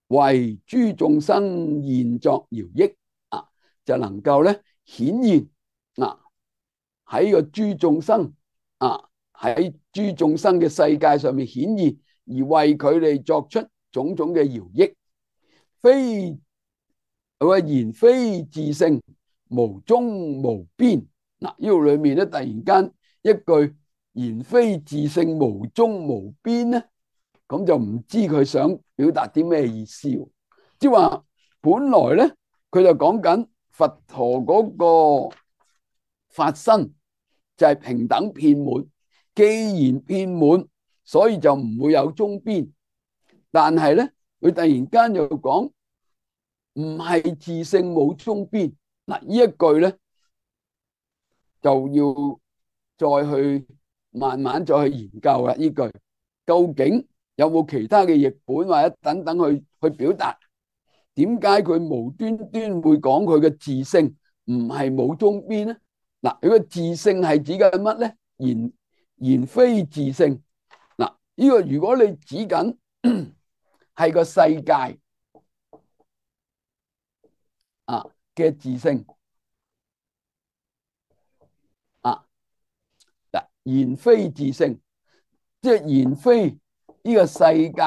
為諸眾生現作饒益啊，就能夠咧顯現喺個諸眾生喺諸眾生嘅世界上面顯現，而為佢哋作出種種嘅饒益。非言非自性，無終無邊。嗱，呢度裏面咧突然間一句言非自性，無終無邊咧，咁就唔知佢想表達啲咩意思。即係話本來咧，佢就講緊佛陀嗰個法身就係平等遍滿，既然遍滿，所以就唔會有終邊。但係咧，佢突然間又講唔係自性冇終邊。嗱，呢一句咧就要再去慢慢再去研究啦。呢句究竟有冇其他嘅譯本或者等等去表達？點解佢無端端會講佢嘅自性唔係冇終邊咧？嗱，佢嘅自性係指緊乜咧？言非自性。嗱，呢個如果你指緊係個世界嘅自性嗱，言非自性，即係言非呢個世界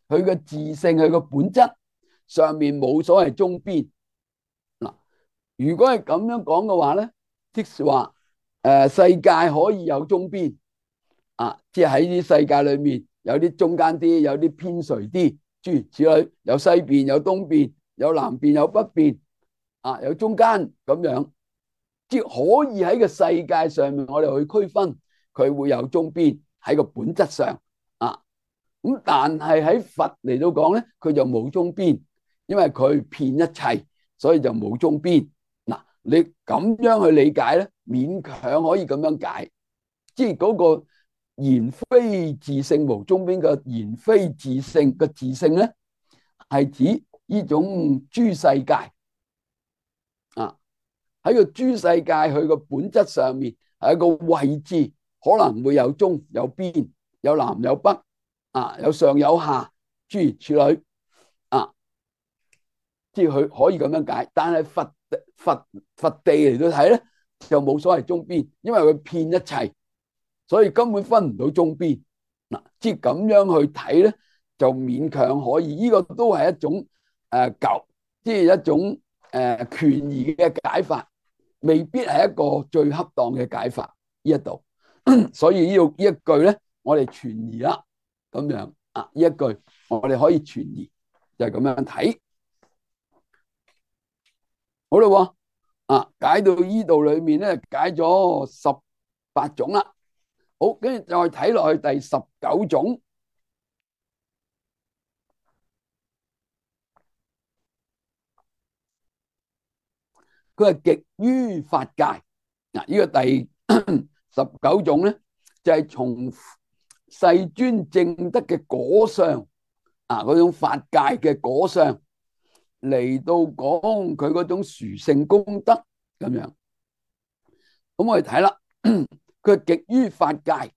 佢嘅自性，佢個本質上面冇所謂終邊。嗱，如果係咁樣講嘅話咧，即是話世界可以有終邊即係喺啲世界裏面有啲中間啲，有啲偏垂啲，諸如此類，有西邊，有東邊，有南邊，有北邊有中間咁樣，即係可以喺個世界上面，我哋去區分佢會有終邊喺個本質上咁，但係喺佛嚟到講咧，佢就冇終邊，因為佢遍一切，所以就冇終邊。嗱，你咁樣去理解咧，勉強可以咁樣解，即係嗰個言非自性無終邊嘅言非自性嘅自性咧，係指呢種諸世界喺個諸世界佢個本質上面係一個位置，可能會有中有邊，有南有北有上有下，諸如此類即係佢可以咁樣解。但係佛地嚟到睇咧，就冇所謂終邊，因為佢遍一切，所以根本分唔到終邊嗱，即係咁樣去睇咧，就勉強可以。呢個都係一種舊，即係一種權宜嘅解法，未必係一個最恰當嘅解法。呢一度，所以呢一句咧，我哋存疑啦，咁樣啊，呢一句我哋可以存疑，就係咁樣睇。好啦，解到呢度裏面咧，解咗18種啦。好，跟住再睇落去第19種，佢係極於法界。嗱，呢個第19種咧，就係從世尊證得嘅果相嗰種法界嘅果相嚟到講佢嗰種殊勝功德咁樣。咁我哋睇啦，佢係極於法界，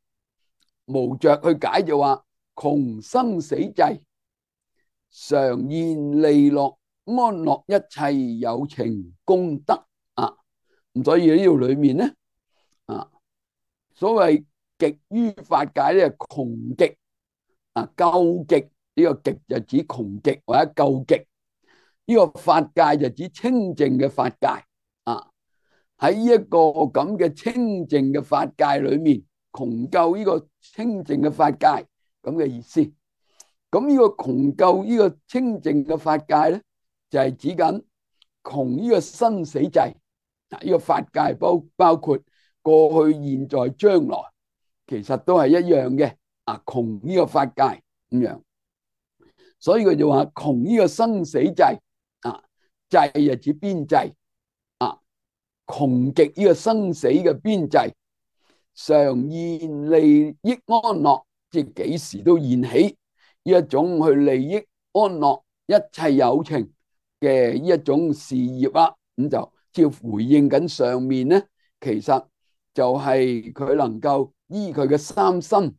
無着去解就話窮生死際，常現利樂安樂一切有情功德啊。咁所以呢度裏面咧所謂極於法界咧，窮極究極，呢個極就指窮極或者究極，呢個法界就指清淨嘅法界啊。喺呢一個咁嘅清淨嘅法界裏面，窮究呢個清淨嘅法界咁嘅意思。咁呢個窮究呢個清淨嘅法界咧，就係指緊窮呢個生死際。呢個法界包括過去、現在、將來，其實都係一樣嘅窮呢個法界咁樣。所以佢就話窮呢個生死際際就指邊際窮極呢個生死嘅邊際，常現利益安樂，即係幾時都現起呢一種去利益安樂一切有情嘅呢一種事業啦。咁就照回應緊上面咧，其實就係佢能夠依佢嘅三身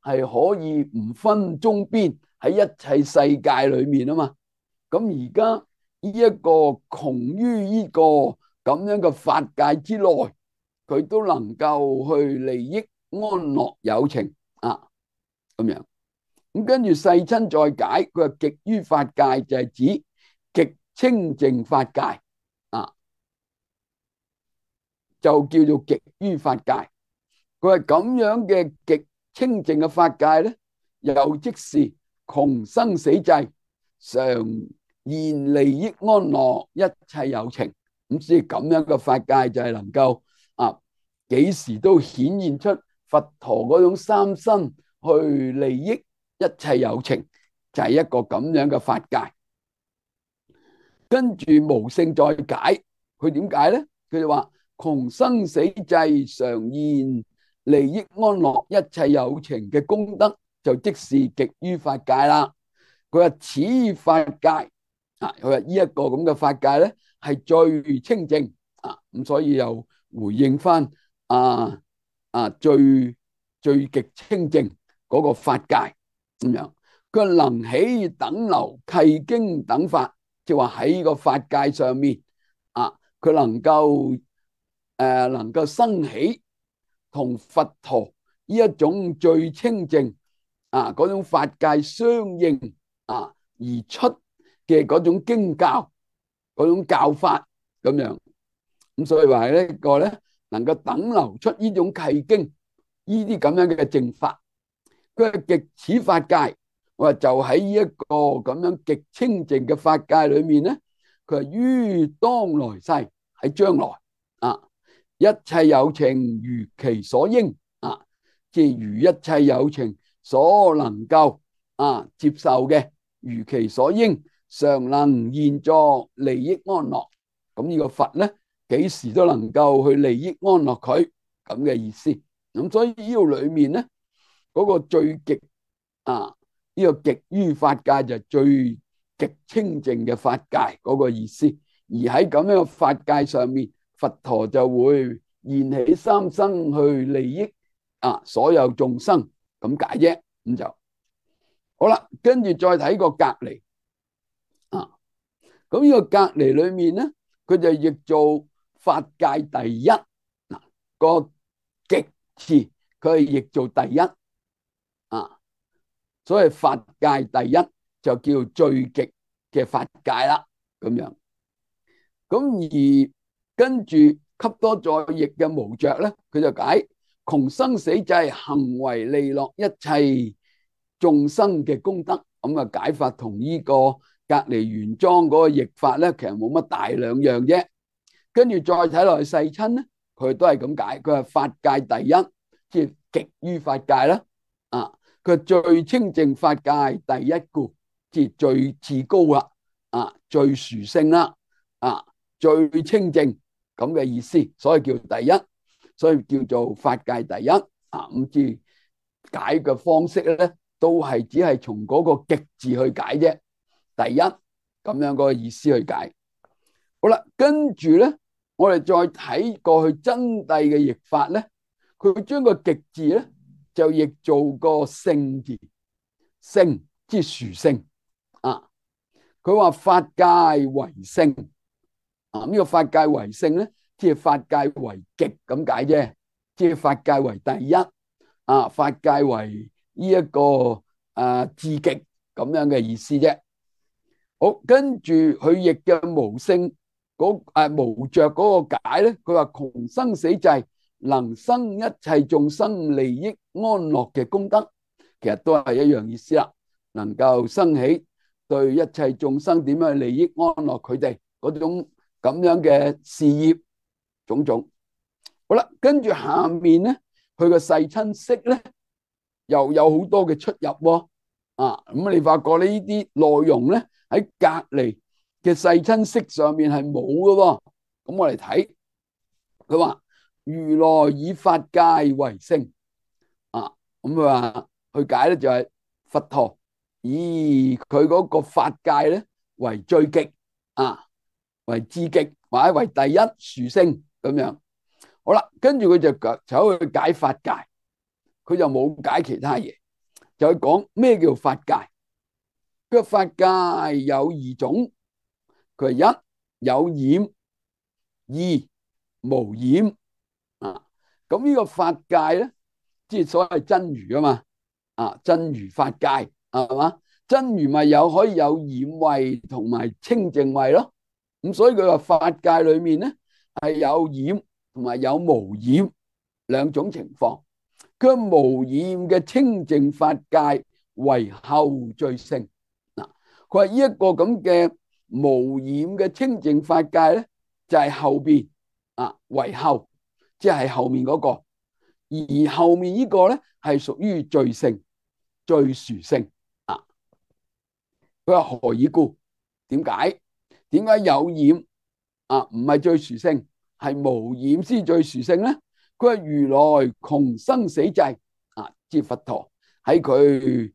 係可以唔分中邊喺一切世界裏面啊嘛。咁而家呢一個窮於呢個咁樣嘅法界之內，佢都能夠去利益安樂有情咁樣。咁跟住世親再解，佢話極於法界就係指極清淨法界就叫做極於法界。佢係咁樣嘅極清淨嘅法界咧，又即是窮生死際，常現利益安樂一切有情。咁所以咁樣嘅法界就係能夠幾時都顯現出佛陀嗰種三身去利益一切有情，就係一個咁樣嘅法界。跟住無性再解，佢點解咧？佢就話窮生死際，常現利益安樂一切有情嘅功德，就即是極於法界啦。佢話此法界佢話呢一個咁嘅法界咧，係最清淨咁所以又回應翻最極清淨嗰個法界咁樣。佢能起等流契經等法，即係話喺個法界上面佢能夠生起同佛陀呢一種最清淨嗰種法界相應而出嘅嗰種經教嗰種教法咁樣。咁所以話呢個咧，能夠等流出呢種契經呢啲咁樣嘅正法。佢係極此法界，我話就喺呢一個咁樣極清淨嘅法界裏面咧，佢係於當來世喺將來一切有情如其所應即係如一切有情所能夠接受嘅，如其所應，常能現作利益安樂。咁呢個佛咧，幾時都能夠去利益安樂佢咁嘅意思。咁所以呢度裏面咧，嗰個最極呢個極於法界就係最極清淨嘅法界嗰個意思。而喺咁樣嘅法界上面，佛陀就會現起三身去利益所有眾生咁解啫。咁就好啦。跟住再睇個隔離咁呢個隔離裏面咧，佢就譯做法界第一個極字，佢係譯做第一。所以法界第一就叫最極嘅法界啦，咁樣。咁而跟住給多再譯嘅無着咧，佢就解窮生死際，行為利樂一切眾生嘅功德。咁啊解法同呢個隔離原裝嗰個譯法咧，其實冇乜大兩樣啫。跟住再睇落去世親咧，佢都係咁解，佢係法界第一，即係極於法界啦。啊，佢最清淨法界第一故，即係最至高啦。啊，最殊勝啦。啊，最清淨咁嘅意思，所以叫第一，所以叫做法界第一。啊，咁至解嘅方式咧，都係只係從嗰個極字去解啫。第一咁樣嗰個意思去解。好啦，跟住咧，我哋再睇過去真諦嘅譯法咧，佢將個極字咧就譯做個聖字，聖即係殊勝啊。佢話法界為聖啊，呢個法界為聖咧，即係法界為極咁解啫，即係法界為第一啊，法界為呢一個至極咁樣嘅意思啫。好，跟住佢譯嘅無聖無着嗰個解咧，佢話窮生死際，能生一切眾生利益安樂嘅功德，其實都係一樣意思啦。能夠生起對一切眾生點樣利益安樂佢哋嗰種咁樣嘅事業種種。好啦，跟住下面咧，佢個世親釋咧又有好多嘅出入喎。啊，咁你發覺呢啲內容咧喺隔離嘅世親釋上面係冇嘅喎。咁我嚟睇，佢話如來以法界為聖啊，咁佢話去解咧就係佛陀以佢嗰個法界咧為最極啊，為至極或者為第一殊勝咁樣。好啦，跟住佢就走去解法界，佢就冇解其他嘢，就去講咩叫法界。個法界有二種，佢係一有染，二無染啊。咁呢個法界咧，即係所謂真如啊嘛。啊，真如法界係嘛？真如咪有可以有染慧同埋清淨慧咯。咁所以佢話法界裏面咧係有染同埋有無染兩種情況。佢無染嘅清淨法界為後最勝。嗱，佢話呢一個咁嘅無染嘅清淨法界咧，就係後邊啊為後，即係後面嗰個，而後面呢個咧係屬於最勝、最殊勝啊。佢話何以故？點解？點解有染啊唔係最殊勝，係無染先最殊勝咧？佢話如來窮生死際啊，即佛陀喺佢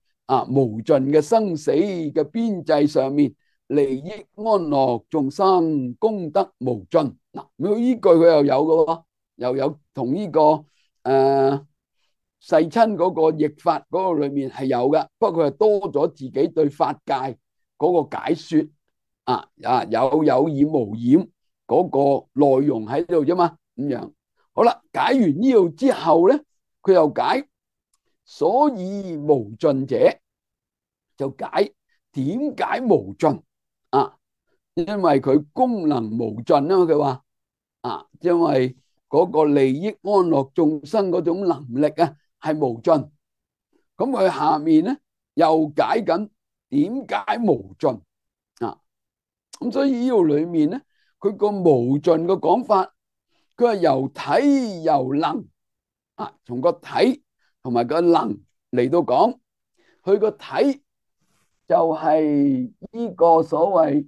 無盡嘅生死嘅邊際上面，利益安樂眾生，功德無盡。嗱，呢句佢又有嘅喎，又有同呢個世親嗰個譯法嗰個裏面係有嘅，不過佢係多咗自己對法界嗰個解說有染無染嗰個內容喺度啫嘛，咁樣。好啦，解完呢度之後咧，佢又解所以無盡者，就解點解無盡啊？因為佢功能無盡啊嘛，佢話因為嗰個利益安樂眾生嗰種能力係無盡。咁佢下面咧又解緊點解無盡啊？咁所以呢度裏面咧，佢個無盡嘅講法，佢係由體由能從個體同埋個能嚟到講。佢個體就係呢個所謂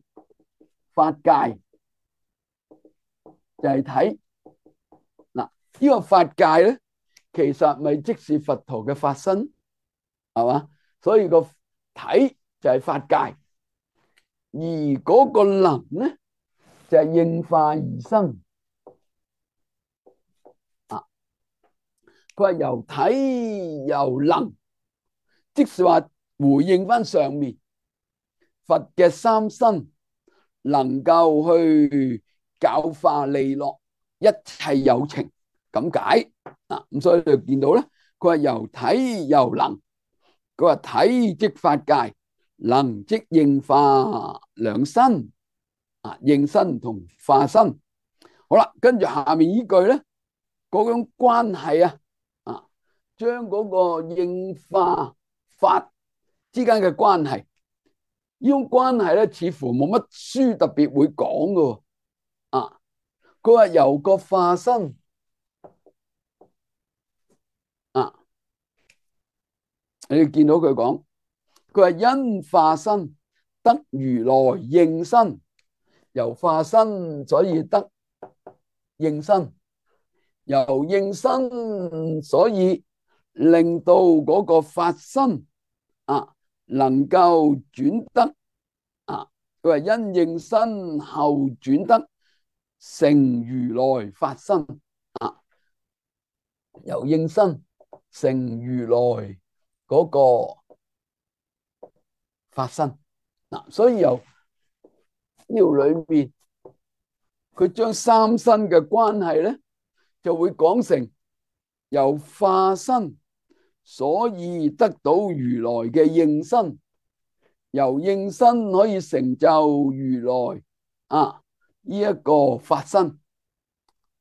法界，就係體。嗱，呢個法界咧，其實咪即是佛陀嘅法身，係嘛？所以個體就係法界，而嗰個能咧就係應化而生。佢話由體由能，即是話回應翻上面佛嘅三身，能夠去教化利樂一切有情咁解。咁所以你就見到咧，佢話由體由能，佢話體即法界，能即應化兩身應身同化身。好啦，跟住下面呢句咧，嗰種關係將嗰個應化法之間嘅關係，呢種關係咧，似乎冇乜書特別會講㗎佢話由個化身你哋見到佢講，佢話因化身得如來應身，由化身所以得應身，由應身所以令到嗰個法身能夠轉得佢話因應身後轉得成如來法身由應身成如來嗰個法身所以由呢條裏面佢將三身嘅關係咧，就會講成由化身所以得到如來嘅應身，由應身可以成就如來呢一個法身。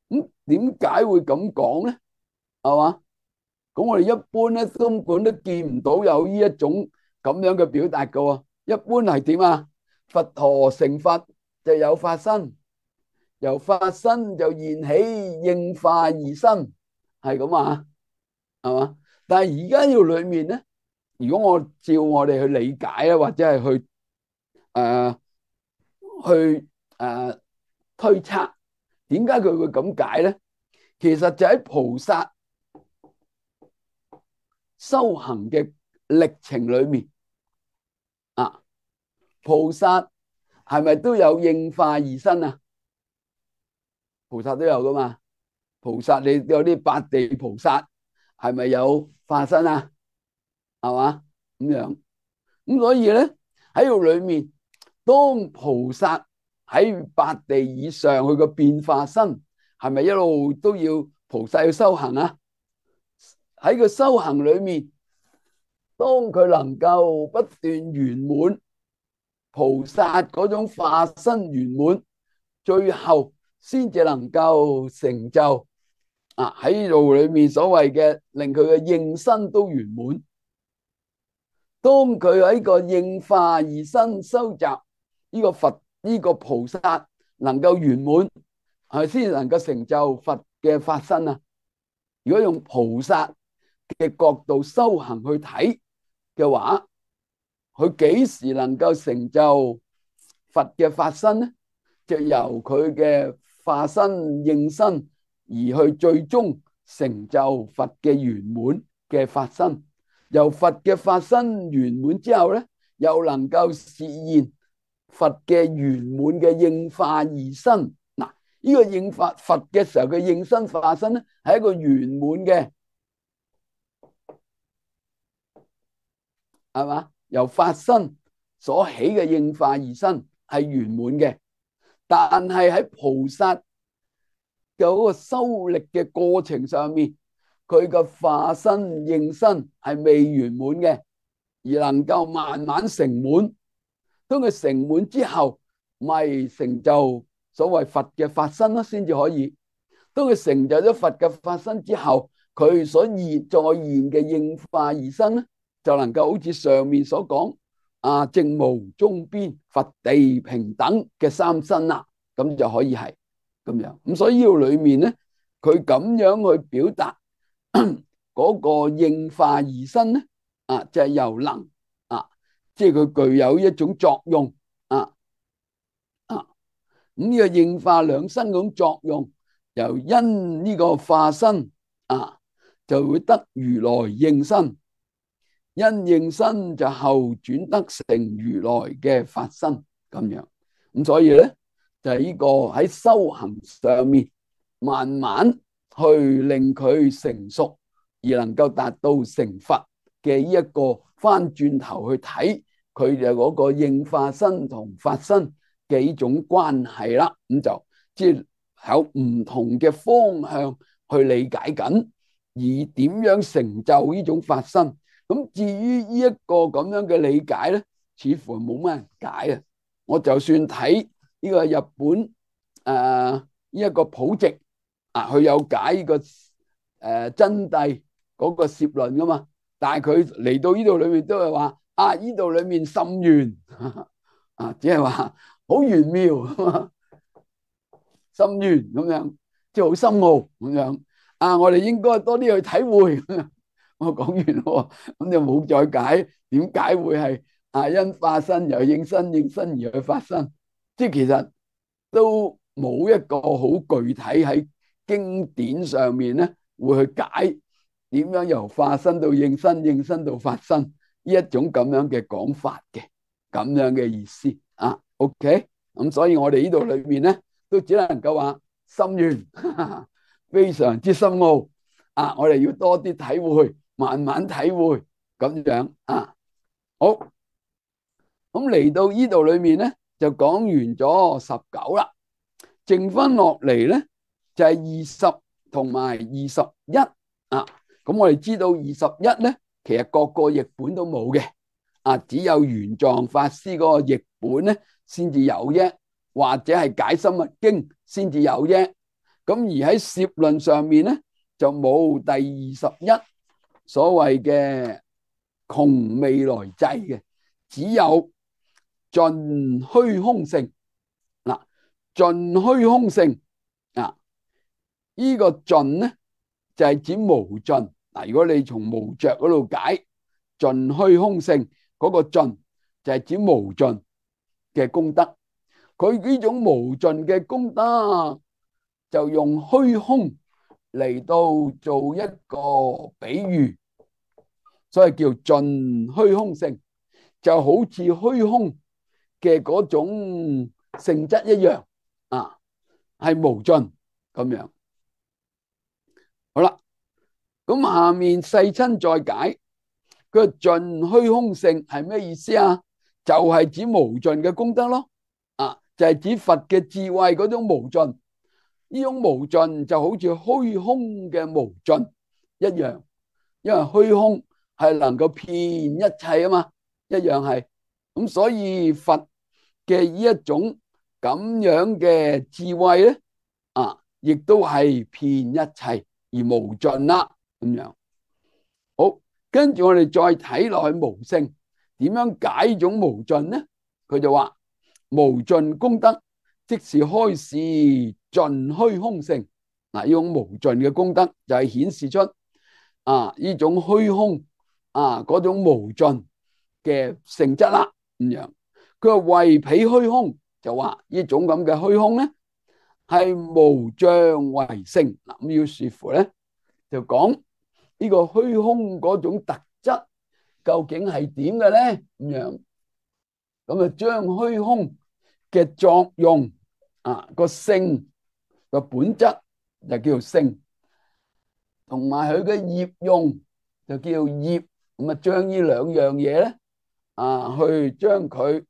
咁點解會咁講咧？係嘛？咁我哋一般咧根本都見唔到有呢一種咁樣嘅表達噶喎。一般係點啊？佛陀成佛就有法身，由法身就現起應化二身，係咁係嘛？但係而家呢裏面咧，如果我照我哋去理解咧，或者係去推測，點解佢會咁解咧？其實就喺菩薩修行嘅歷程裏面菩薩係咪都有應化二身啊？菩薩都有噶嘛？菩薩你有啲八地菩薩係咪有化身啊？係嘛？咁樣咁所以咧喺度裏面，當菩薩喺八地以上，佢個變化身係咪一路都要菩薩去修行啊？喺個修行裏面，當佢能夠不斷圓滿菩薩嗰種化身圓滿，最後先至能夠成就喺度裏面所謂嘅令佢嘅應身都圓滿。當佢喺個應化二身收集呢個佛呢個菩薩能夠圓滿，係先能夠成就佛嘅法身啊！如果用菩薩嘅角度修行去睇嘅話，佢幾時能夠成就佛嘅法身呢？就由佢嘅化身應身而去最終成就佛嘅圓滿嘅法身。由佛嘅法身圓滿之後咧，又能夠實現佛嘅圓滿嘅應化二身。嗱，呢個應化佛嘅時候嘅應身化身咧，係一個圓滿嘅，係嘛？由法身所起嘅應化二身係圓滿嘅，但係喺菩薩嘅嗰個修力嘅過程上面，佢嘅化身應身係未圓滿嘅，而能夠慢慢成滿。當佢成滿之後，咪成就所謂佛嘅法身咯，先至可以。當佢成就咗佛嘅法身之後，佢所再現嘅應化二身咧，就能夠好似上面所講正無中邊，佛地平等嘅三身啦，咁就可以係咁樣。咁所以呢度裏面咧，佢咁樣去表達嗰個應化二身咧，就係由能即係佢具有一種作用咁呢個應化兩身嗰種作用，由因呢個化身就會得如來應身，因應身就後轉得成如來嘅法身咁樣。咁所以咧就係呢個喺修行上面慢慢去令佢成熟，而能夠達到成佛嘅呢一個翻轉頭去睇佢哋嗰個應化身同法身嘅呢種關係啦。咁就即係有唔同嘅方向去理解緊，而點樣成就呢種法身，咁至於呢一個咁樣嘅理解咧，似乎冇乜人解啊。我就算睇呢個日本呢一個普直啊，佢有解呢個真諦嗰個攝論噶嘛，但係佢嚟到呢度裏面都係話啊，呢度裏面甚玄啊，只係話好玄妙，深遠咁樣，即係好深奧咁樣啊！我哋應該多啲去體會。我講完咯，咁就冇再解點解會係啊因化身又應身，應身而去發生，即係其實都冇一個好具體喺經典上面咧會去解點樣由化身到應身，應身到發生呢一種咁樣嘅講法嘅咁樣嘅意思啊。OK，咁所以我哋呢度裏面咧。都只能夠話深遠，非常之深奧啊！我哋要多啲體會，慢慢體會咁樣啊。好，咁嚟到呢度裏面咧，就講完咗19啦，剩翻落嚟咧就係20同埋21啊。咁我哋知道21咧，其實各個譯本都冇嘅啊，只有玄奘法師嗰個譯本咧先至有啫。或者係解深密經先至有啫，咁而喺攝論上面咧就冇第21所謂嘅窮未來際嘅，只有盡虛空性嗱，盡虛空性啊，呢個盡咧就係指無盡嗱。如果你從無着嗰度解盡虛空性嗰個盡，就係指無盡嘅功德。佢呢種無盡嘅功德，就用虛空嚟到做一個比喻，所以叫盡虛空性，就好似虛空嘅嗰種性質一樣啊，係無盡咁樣。好啦，咁下面世親再解，佢盡虛空性係咩意思啊？就係指無盡嘅功德咯。就係指佛嘅智慧嗰種無盡，呢種無盡就好似虛空嘅無盡一樣，因為虛空係能夠遍一切啊嘛，一樣係咁，所以佛嘅呢一種咁樣嘅智慧咧，亦都係遍一切而無盡啦，咁樣。好，跟住我哋再睇落去無性，點樣解呢種無盡咧？佢就話。無盡功德，即是開示盡虛空性。嗱，呢種無盡嘅功德就係顯示出呢種虛空嗰種無盡嘅性質啦。咁樣，佢話為彼虛空，就話呢種咁嘅虛空咧係無障為性。嗱，咁要視乎咧，就講呢個虛空嗰種特質究竟係點嘅咧？咁樣，咁啊將虛空嘅作用個性個本質就叫做性，同埋佢嘅業用就叫做業，咁啊將呢兩樣嘢咧去將佢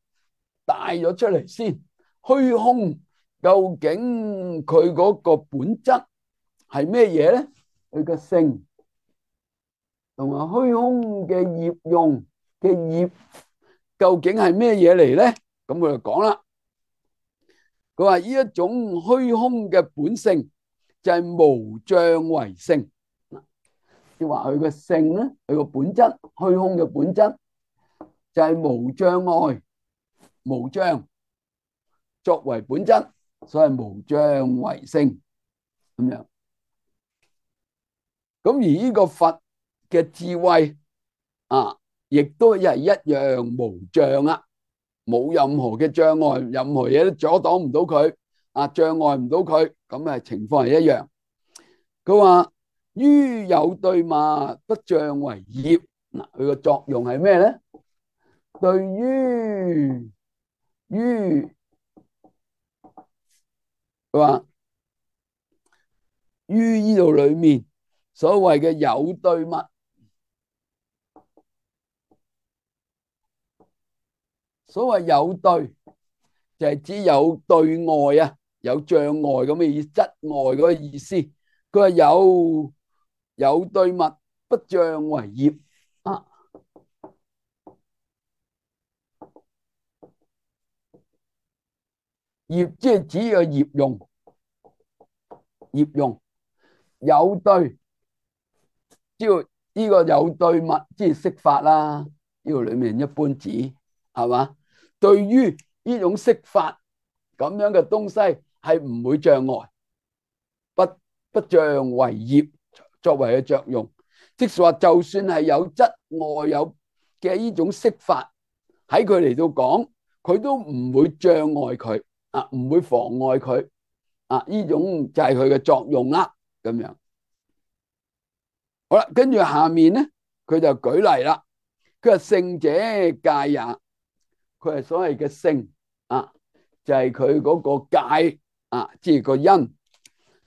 帶咗出嚟先。虛空究竟佢嗰個本質係咩嘢咧？佢個性同埋虛空嘅業用嘅業究竟係咩嘢嚟咧？咁佢就講啦。佢話呢一種虛空嘅本性就係無障為性，即係話佢個性咧，佢個本質，虛空嘅本質就係無障礙、無障作為本質，所以無障為性咁樣。咁而呢個佛嘅智慧亦都係一樣無障啊。冇任何嘅障礙，任何嘢都阻擋唔到佢，障礙唔到佢，咁啊情況係一樣。佢話於有對物不障為業，嗱，佢個作用係咩咧？對於佢話於呢度裏面所謂嘅有對物。所謂有對，就係指有對外啊，有障礙咁嘅意思，質外嗰個意思。佢話有對物不障為業業即係指個業用，業用有對，即係呢個有對物，即係色法啦。呢個裏面一般指係嘛？對於呢種色法咁樣嘅東西係唔會障礙，不障為業作為嘅作用。即係話，就算係有質外有嘅呢種色法，喺佢嚟到講，佢都唔會障礙佢啊，唔會妨礙佢啊。呢種就係佢嘅作用啦。咁樣好啦，跟住下面咧，佢就舉例啦。佢話性者界也，佢係所謂嘅性啊，就係佢嗰個界啊，即係個因。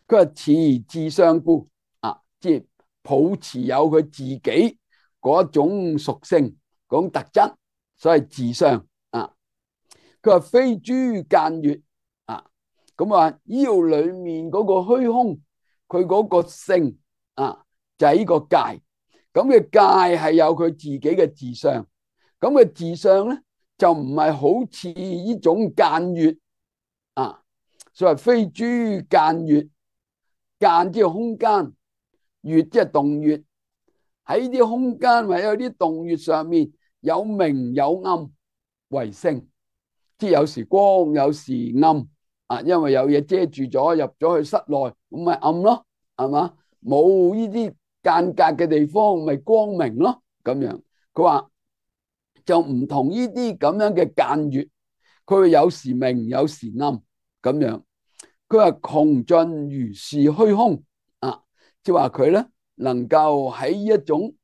佢話持自相故啊，即係抱持有佢自己嗰種屬性、嗰種特質，所謂自相啊。佢話非諸間悅啊，咁話呢度裏面嗰個虛空，佢嗰個性啊，就係呢個界。咁嘅界係有佢自己嘅自相，咁嘅自相咧就唔係好似呢種間悅啊，所謂非諸間悅，間即係空間，悅即係動穴。喺啲空間或者有啲動穴上面有明有暗為性，即係有時光有時暗啊，因為有嘢遮住咗，入咗去室內咁咪暗咯，係嘛？冇呢啲間隔嘅地方咪光明咯。咁樣佢話就唔同呢啲咁樣嘅間悅，佢會有時明有時暗咁樣。佢話窮盡如是虛空啊，即係話佢咧能夠喺一種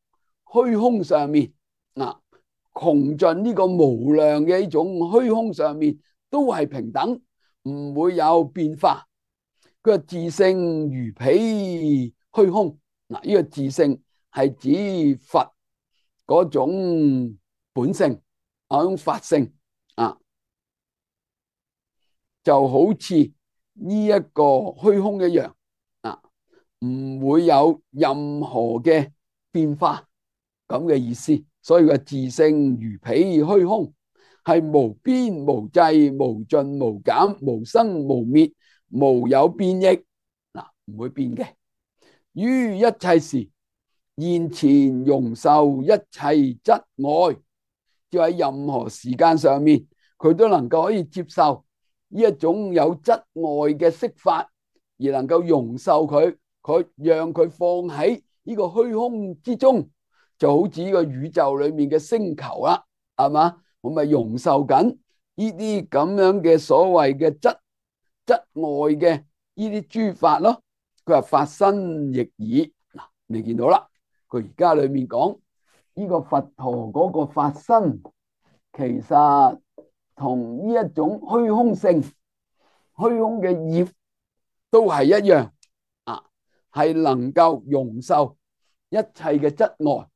虛空上面啊，窮盡呢個無量嘅一種虛空上面都係平等，唔會有變化。佢話自性如彼虛空嗱，呢個自性係指佛嗰種本性嗰種法性啊，就好似呢一個虛空一樣啊，唔會有任何嘅變化咁嘅意思。所以個自性如彼虛空係無邊無際無盡無減無生無滅無有變異嗱，唔會變嘅。於一切時現前容受一切質外，就喺任何時間上面佢都能夠可以接受呢一種有質外嘅色法，而能夠容受佢，佢讓佢放喺呢個虛空之中，就好似呢個宇宙裏面嘅星球啦，係嘛？我咪容受緊呢啲咁樣嘅所謂嘅質外嘅呢啲諸法咯。佢話法身亦爾嗱，你見到啦，佢而家裏面講呢個佛陀嗰個法身，其實同呢一種虛空性、虛空嘅業都係一樣啊，係能夠容受一切嘅質外。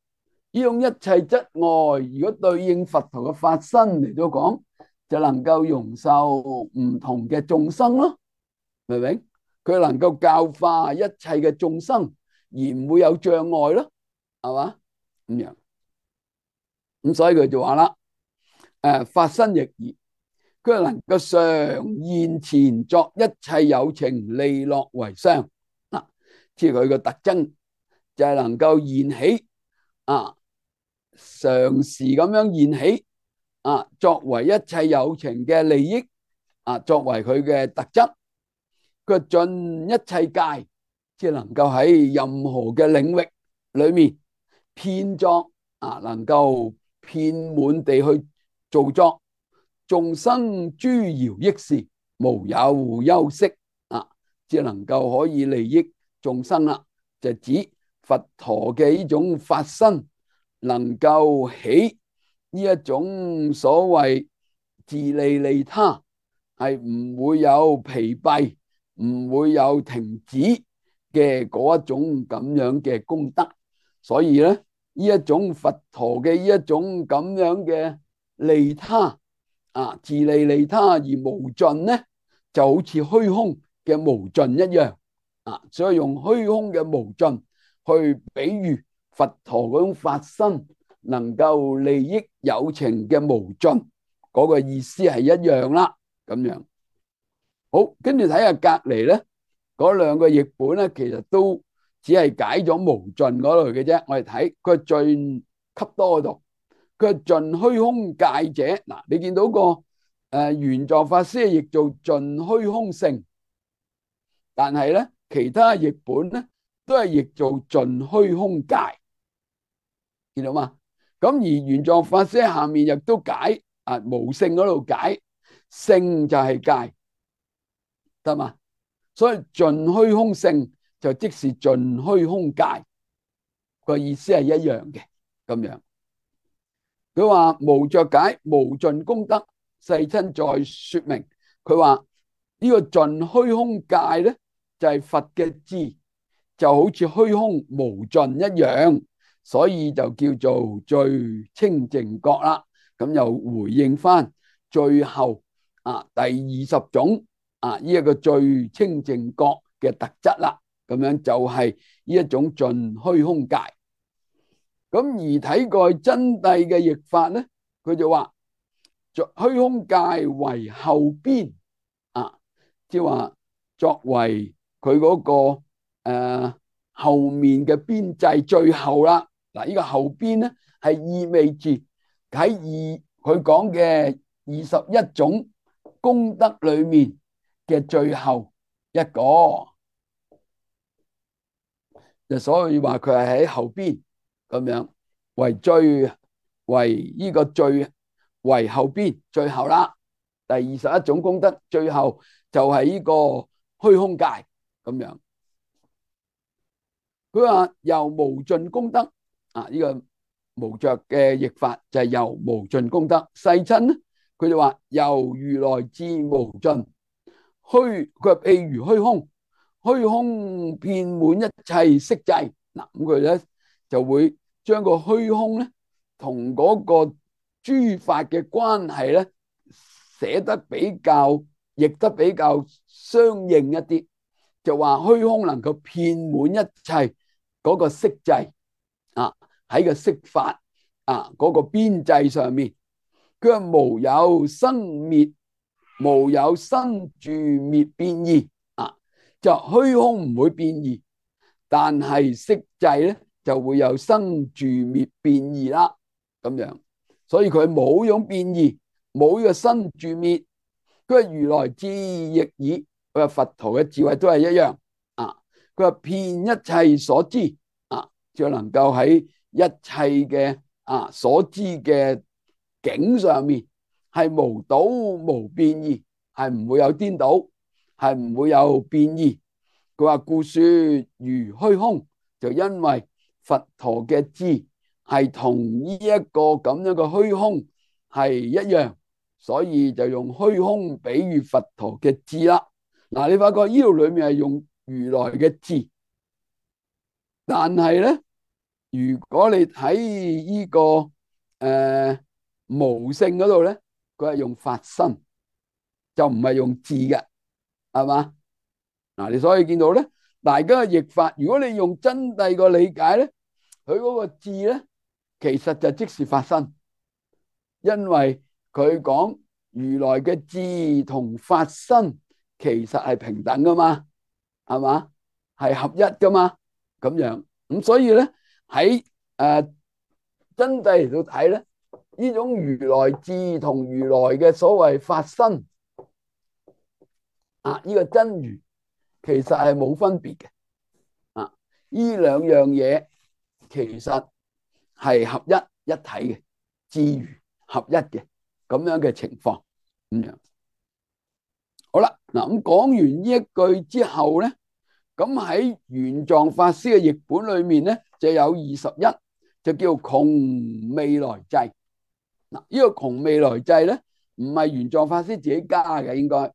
呢種一切質外，如果對應佛陀嘅法身嚟到講，就能夠容受唔同嘅眾生咯，明唔明？佢能夠教化一切嘅眾生，而唔會有障礙咯，係嘛？咁樣咁，所以佢就話啦，法身亦爾，佢能夠常現前作一切有情利樂為相嗱，即係佢個特徵就係能夠現起啊，常時咁樣現起啊，作為一切有情嘅利益啊，作為佢嘅特質。佢盡一切界，即係能夠喺任何嘅領域裏面遍作啊，能夠遍滿地去做作眾生諸饒益事，無有休息啊，即係能夠可以利益眾生啦。就指佛陀嘅呢種法身，能夠起呢一種所謂自利利他，係唔會有疲憊，唔會有停止嘅嗰一種咁樣嘅功德。所以咧，呢一種佛陀嘅呢一種咁樣嘅利他啊，自利利他而無盡咧，就好似虛空嘅無盡一樣啊。所以用虛空嘅無盡去比喻佛陀嗰種法身能夠利益有情嘅無盡，嗰個意思係一樣啦。咁樣好，跟住睇下隔籬咧嗰兩個譯本咧，其實都只係解咗無盡嗰類嘅啫。我哋睇佢盡給多嗰度，佢係盡虛空界者。嗱，你見到個玄奘法師係譯做盡虛空性，但係咧其他譯本咧都係譯做盡虛空界，見到嘛？咁而玄奘法師下面亦都解無性嗰度解性就係界，得嘛？所以盡虛空性就即是盡虛空界，個意思係一樣嘅咁樣。佢話無着解無盡功德，世親再說明。佢話呢個盡虛空界咧就係佛嘅智，就好似虛空無盡一樣，所以就叫做最清淨覺啦。咁又回應翻最後第20種呢一個最清淨覺嘅特質啦。咁樣就係呢一種盡虛空界。咁而睇過真諦嘅譯法咧，佢就話虛空界為後邊即係話作為佢嗰個後面嘅邊際最後啦。嗱，呢個後邊咧係意味住喺佢講嘅21種功德裏面嘅最後一個，就所以話佢係喺後邊咁樣為呢個最為後邊最後啦。第21種功德最後就係呢個虛空界咁樣。佢話由無盡功德呢個無着嘅譯法就係由無盡功德。世親咧佢就話由如來智無盡虛，佢話譬如虛空，虛空遍滿一切色際。嗱，咁佢咧就會將個虛空咧同嗰個諸法嘅關係咧寫得比較譯得比較相應一啲，就話虛空能夠遍滿一切嗰個色際喺個色法嗰個邊際上面，佢話無有生滅，無有生住滅變異就虛空唔會變異，但係色際咧就會有生住滅變異啦咁樣。所以佢冇種變異，冇呢個生住滅。佢話如來智亦爾，佢話佛陀嘅智慧都係一樣佢話遍一切所知就能夠喺一切嘅所知嘅境上面係無倒無變異，係唔會有顛倒，係唔會有變異。佢話故說如虛空，就因為佛陀嘅智係同呢一個咁樣嘅虛空係一樣，所以就用虛空比喻佛陀嘅智啦。嗱，你發覺呢度裏面係用如來嘅智，但係咧，如果你睇呢個無性嗰度咧，佢係用法身，就唔係用智嘅，係嘛？嗱，你所以見到咧，大家嘅譯法，如果你用真諦個理解咧，佢嗰個智咧，其實就即是法身，因為佢講如來嘅智同法身其實係平等噶嘛，係嘛？係合一噶嘛，咁樣。咁所以咧喺真諦嚟到睇咧，呢種如來智同如來嘅所謂法身呢個真如其實係冇分別嘅呢兩樣嘢其實係合一體嘅，智如合一嘅咁樣嘅情況咁樣。好啦，嗱，咁講完呢一句之後咧，咁喺玄奘法師嘅譯本裏面咧，就有21，就叫窮未來際。嗱，呢個窮未來際咧，唔係玄奘法師自己加嘅，應該，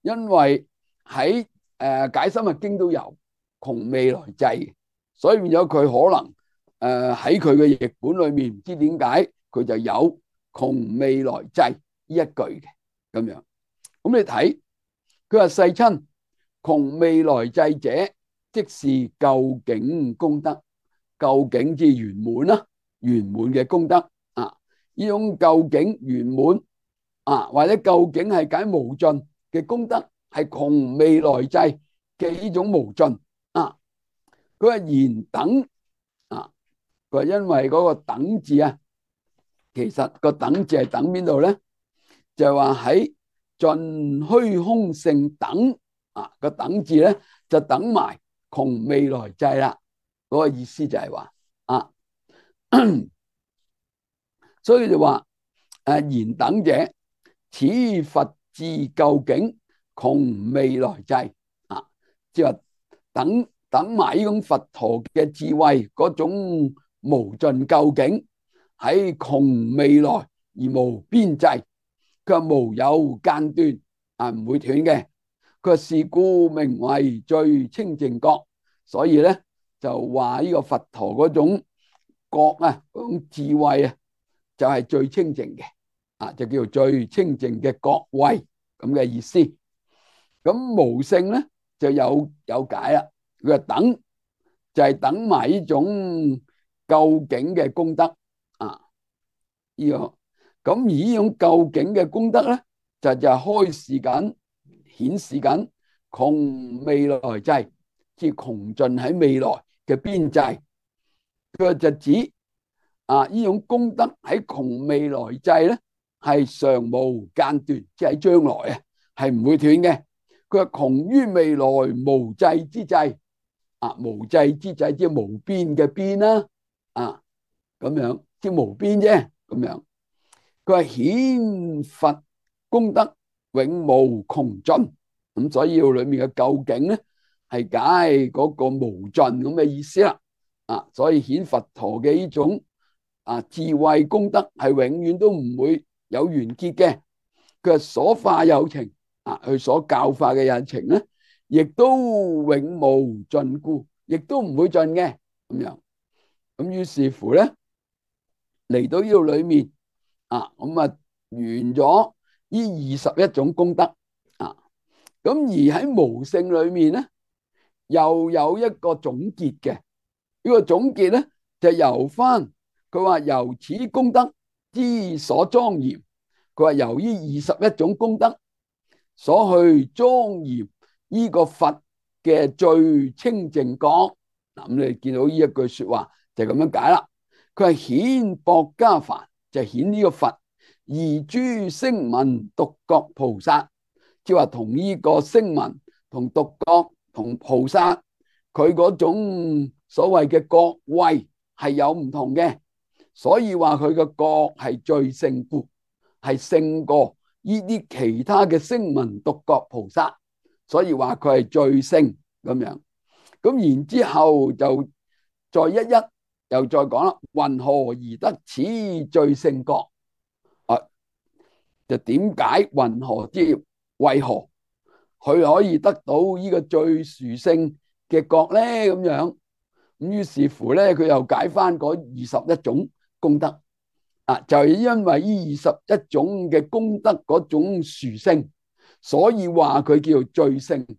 因為喺解深密經都有窮未來際，所以變咗佢可能喺佢嘅譯本裏面，唔知點解佢就有窮未來際呢一句嘅咁樣。咁你睇佢話世親窮未來際者，即是究竟功德，究竟之圓滿啦，圓滿嘅功德呢種究竟圓滿或者究竟係解無盡嘅功德，係窮未來際嘅呢種無盡啊。佢話然等啊，佢話因為嗰個等字啊，其實個等字係等邊度咧？就係話喺盡虛空性等啊，個等字咧就等埋窮未來際啦。嗰個意思就係話啊，所以就話然等者，此佛智究竟窮未來際啊，即係話等埋呢種佛陀嘅智慧嗰種無盡究竟喺窮未來而無邊際，佢話無有間斷啊，唔會斷嘅。佢話是故名為最清淨覺，所以咧就話呢個佛陀嗰種覺啊，嗰種智慧啊，就係最清淨嘅啊，就叫做最清淨嘅覺位咁嘅意思。咁無性咧就有解啦。佢話等就係等埋呢種究竟嘅功德啊，呢個咁而呢種究竟嘅功德咧，就係開示緊、顯示緊窮未來際，即係窮盡喺未來嘅邊際。佢就指呢種功德喺窮未來際咧係常無間斷，即係喺將來啊係唔會斷嘅。佢話窮於未來無際之際啊，無際之際即係無邊嘅邊啦啊，咁樣即係無邊啫咁樣。佢話顯佛功德永無窮盡，咁所以裏面嘅究竟咧係解嗰個無盡咁嘅意思啦啊，所以顯佛陀嘅呢種智慧功德係永遠都唔會有完結嘅。佢話所化有情啊，佢所教化嘅有情咧，亦都永無盡故，亦都唔會盡嘅咁樣。咁於是乎咧嚟到呢度裏面咁完咗呢21種功德啊，咁而喺無性裏面咧，又有一個總結嘅。呢個總結咧就由翻佢話由此功德之所莊嚴，佢話由於21種功德所去莊嚴呢個佛嘅最清淨覺。嗱，咁你見到呢一句說話就咁樣解啦。佢係顯薄伽梵，就顯呢個佛而諸聲聞獨覺菩薩，即係話同呢個聲聞同獨覺同菩薩佢嗰種所謂嘅覺位係有唔同嘅，所以話佢嘅覺係最勝故，係勝過呢啲其他嘅聲聞獨覺菩薩，所以話佢係最勝咁樣。咁然之後就再一又再講啦，云何而得此最勝覺？就點解云何之為何佢可以得到呢個最殊勝嘅覺咧？咁樣咁於是乎咧，佢又解翻嗰21種功德就係因為呢21種嘅功德嗰種殊勝，所以話佢叫做最勝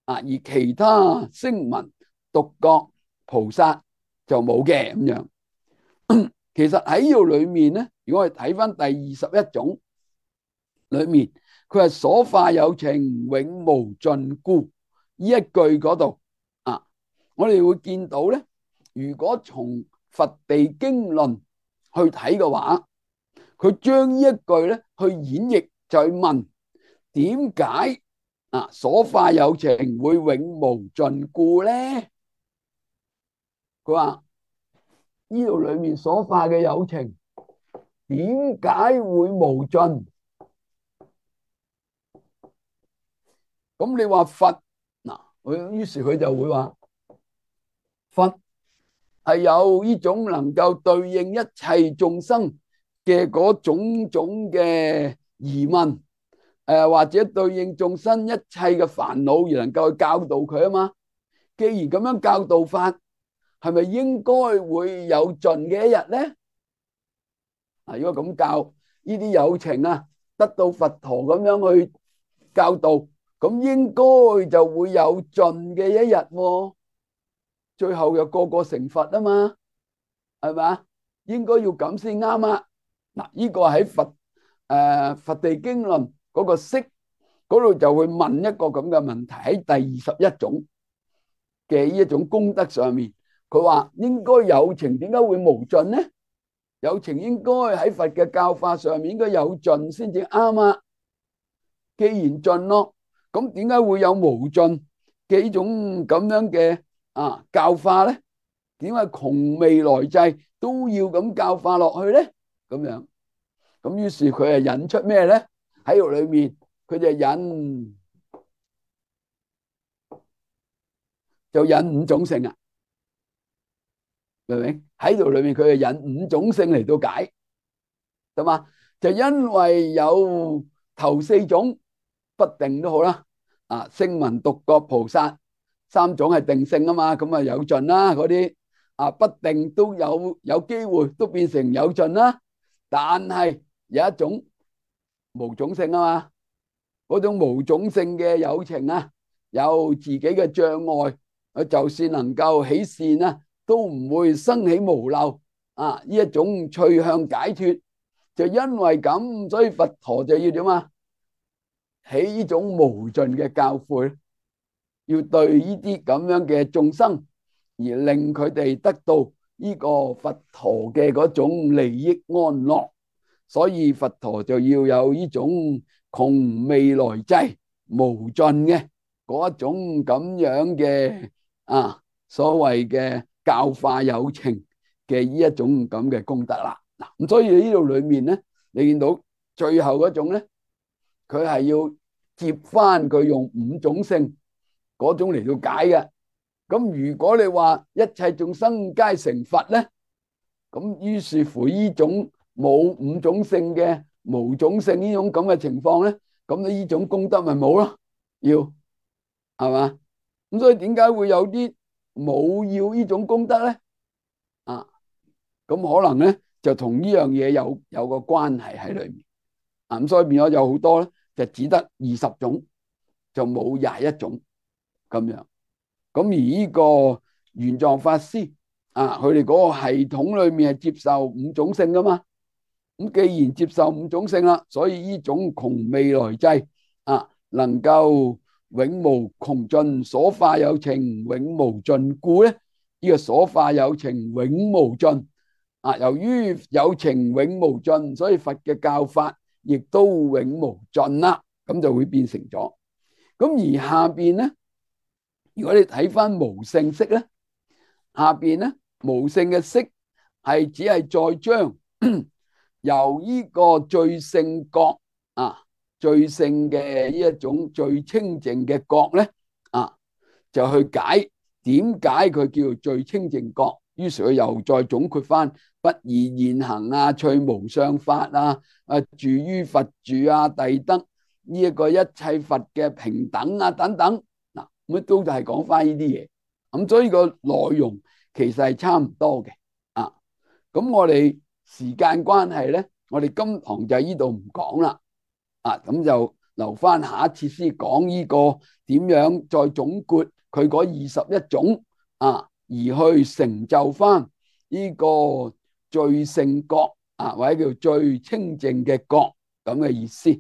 而其他聲聞獨覺菩薩就冇嘅咁樣。其實喺呢度裏面咧，如果我哋睇翻第21種裏面，佢係所化有情永無盡故呢一句嗰度我哋會見到咧，如果從佛地經論去睇嘅話，佢將呢一句咧去演繹，就去問點解所化有情會永無盡故咧？佢話呢度裏面所化嘅有情點解會無盡？咁你話佛於是佢就會話佛係有呢種能夠對應一切眾生嘅嗰種種嘅疑問，或者對應眾生一切嘅煩惱而能夠去教導佢啊嘛。既然咁樣教導法，係咪應該會有盡嘅一日咧？如果咁教呢啲有情得到佛陀咁樣去教導，咁應該就會有盡嘅一日喎。最後又個個成佛啊嘛，係嘛？應該要咁先啱啊！嗱，呢個喺佛地經論嗰個釋嗰度就會問一個咁嘅問題，喺第21種嘅呢一種功德上面，佢話應該有情，點解會無盡呢？有情應該喺佛嘅教法上面應該有盡先至啱啊。既然盡咯，咁點解會有無盡嘅呢種咁樣嘅教化咧？點解窮未來際都要咁教化落去咧？咁樣，咁於是佢係引出咩咧？喺度裏面，佢就引五種性啊，明唔明？喺度裏面佢係引五種性嚟到解，係嘛？就因為有頭4種不定都好啦，聲聞獨覺菩薩3種係定性啊嘛，咁啊有盡啦，嗰啲不定都有機會都變成有盡啦，但係有一種無種性啊嘛，嗰種無種性嘅有情啊，有自己嘅障礙，佢就算能夠起善啊，都唔會生起無漏呢一種趣向解脫。就因為咁，所以佛陀就要點啊？起呢種無盡嘅教誨，要對呢啲咁樣嘅眾生，而令佢哋得到呢個佛陀嘅嗰種利益安樂。所以佛陀就要有呢種窮未來際無盡嘅嗰一種咁樣嘅所謂嘅教化有情嘅呢一種咁嘅功德啦。咁所以呢度裏面咧，你見到最後嗰種咧，佢係要接翻佢用五種性嗰種嚟到解嘅。咁如果你話一切眾生皆成佛咧，咁於是乎呢種冇五種性嘅無種性呢種咁嘅情況咧，咁呢種功德咪冇咯？要係嘛？咁所以點解會有啲冇要呢種功德咧？咁可能咧就同呢樣嘢有個關係喺裏面。咁所以變咗有好多咧，就只得20種，就冇21種咁樣。咁而呢個玄奘法師佢哋嗰個系統裏面係接受五種性噶嘛。咁既然接受五種性啦，所以呢種窮未來際能夠永無窮盡，所化有情永無盡故咧，呢個所化有情永無盡由於有情永無盡，所以佛嘅教法亦都永無盡啦，咁就會變成咗。咁而下邊咧，如果你睇翻無性釋咧，下邊咧無性嘅釋係只係再將由呢個最勝覺最勝嘅呢一種最清淨嘅覺咧就去解點解佢叫做最清淨覺。於是佢又再總括翻不二現行趣無相法住於佛住諦得呢一個一切佛嘅平等等等咁都係講翻呢啲嘢。咁所以個內容其實係差唔多嘅咁我哋時間關係咧，我哋今堂就呢度唔講啦咁就留翻下一次先講呢個點樣再總括佢嗰21種而去成就翻呢個最勝覺或者叫最清淨嘅覺咁嘅意思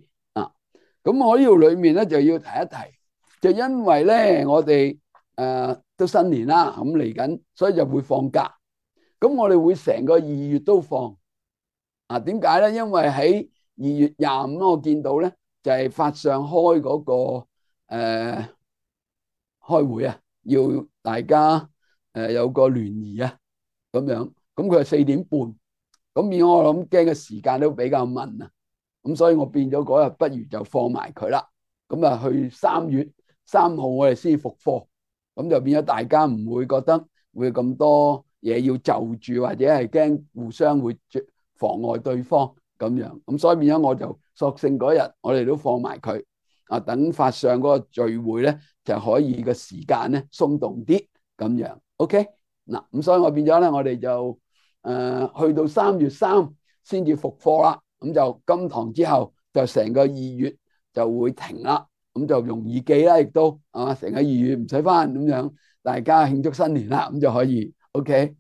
咁我呢度裏面咧就要提一提，就因為咧我哋都新年啦，咁嚟緊，所以就會放假。咁我哋會成個2月都放點解咧？因為喺2月25我見到咧就係法上開嗰個開會要大家有個聯誼咁樣，咁佢係4點半，咁變我諗驚嘅時間都比較密咁所以我變咗嗰日不如就放埋佢啦。咁去3月3號我哋先復課，咁就變咗大家唔會覺得會咁多嘢要就住，或者係驚互相會妨礙對方咁樣。咁所以變咗我就索性嗰日我哋都放埋佢等法上嗰個聚會咧就可以個時間咧鬆動啲咁樣。OK 嗱，咁所以我變咗咧我哋就去到3月3先至復課啦。咁就今堂之後就成個2月就會停啦，咁就容易記啦，亦都成個2月唔使翻咁樣，大家慶祝新年啦，咁就可以 OK。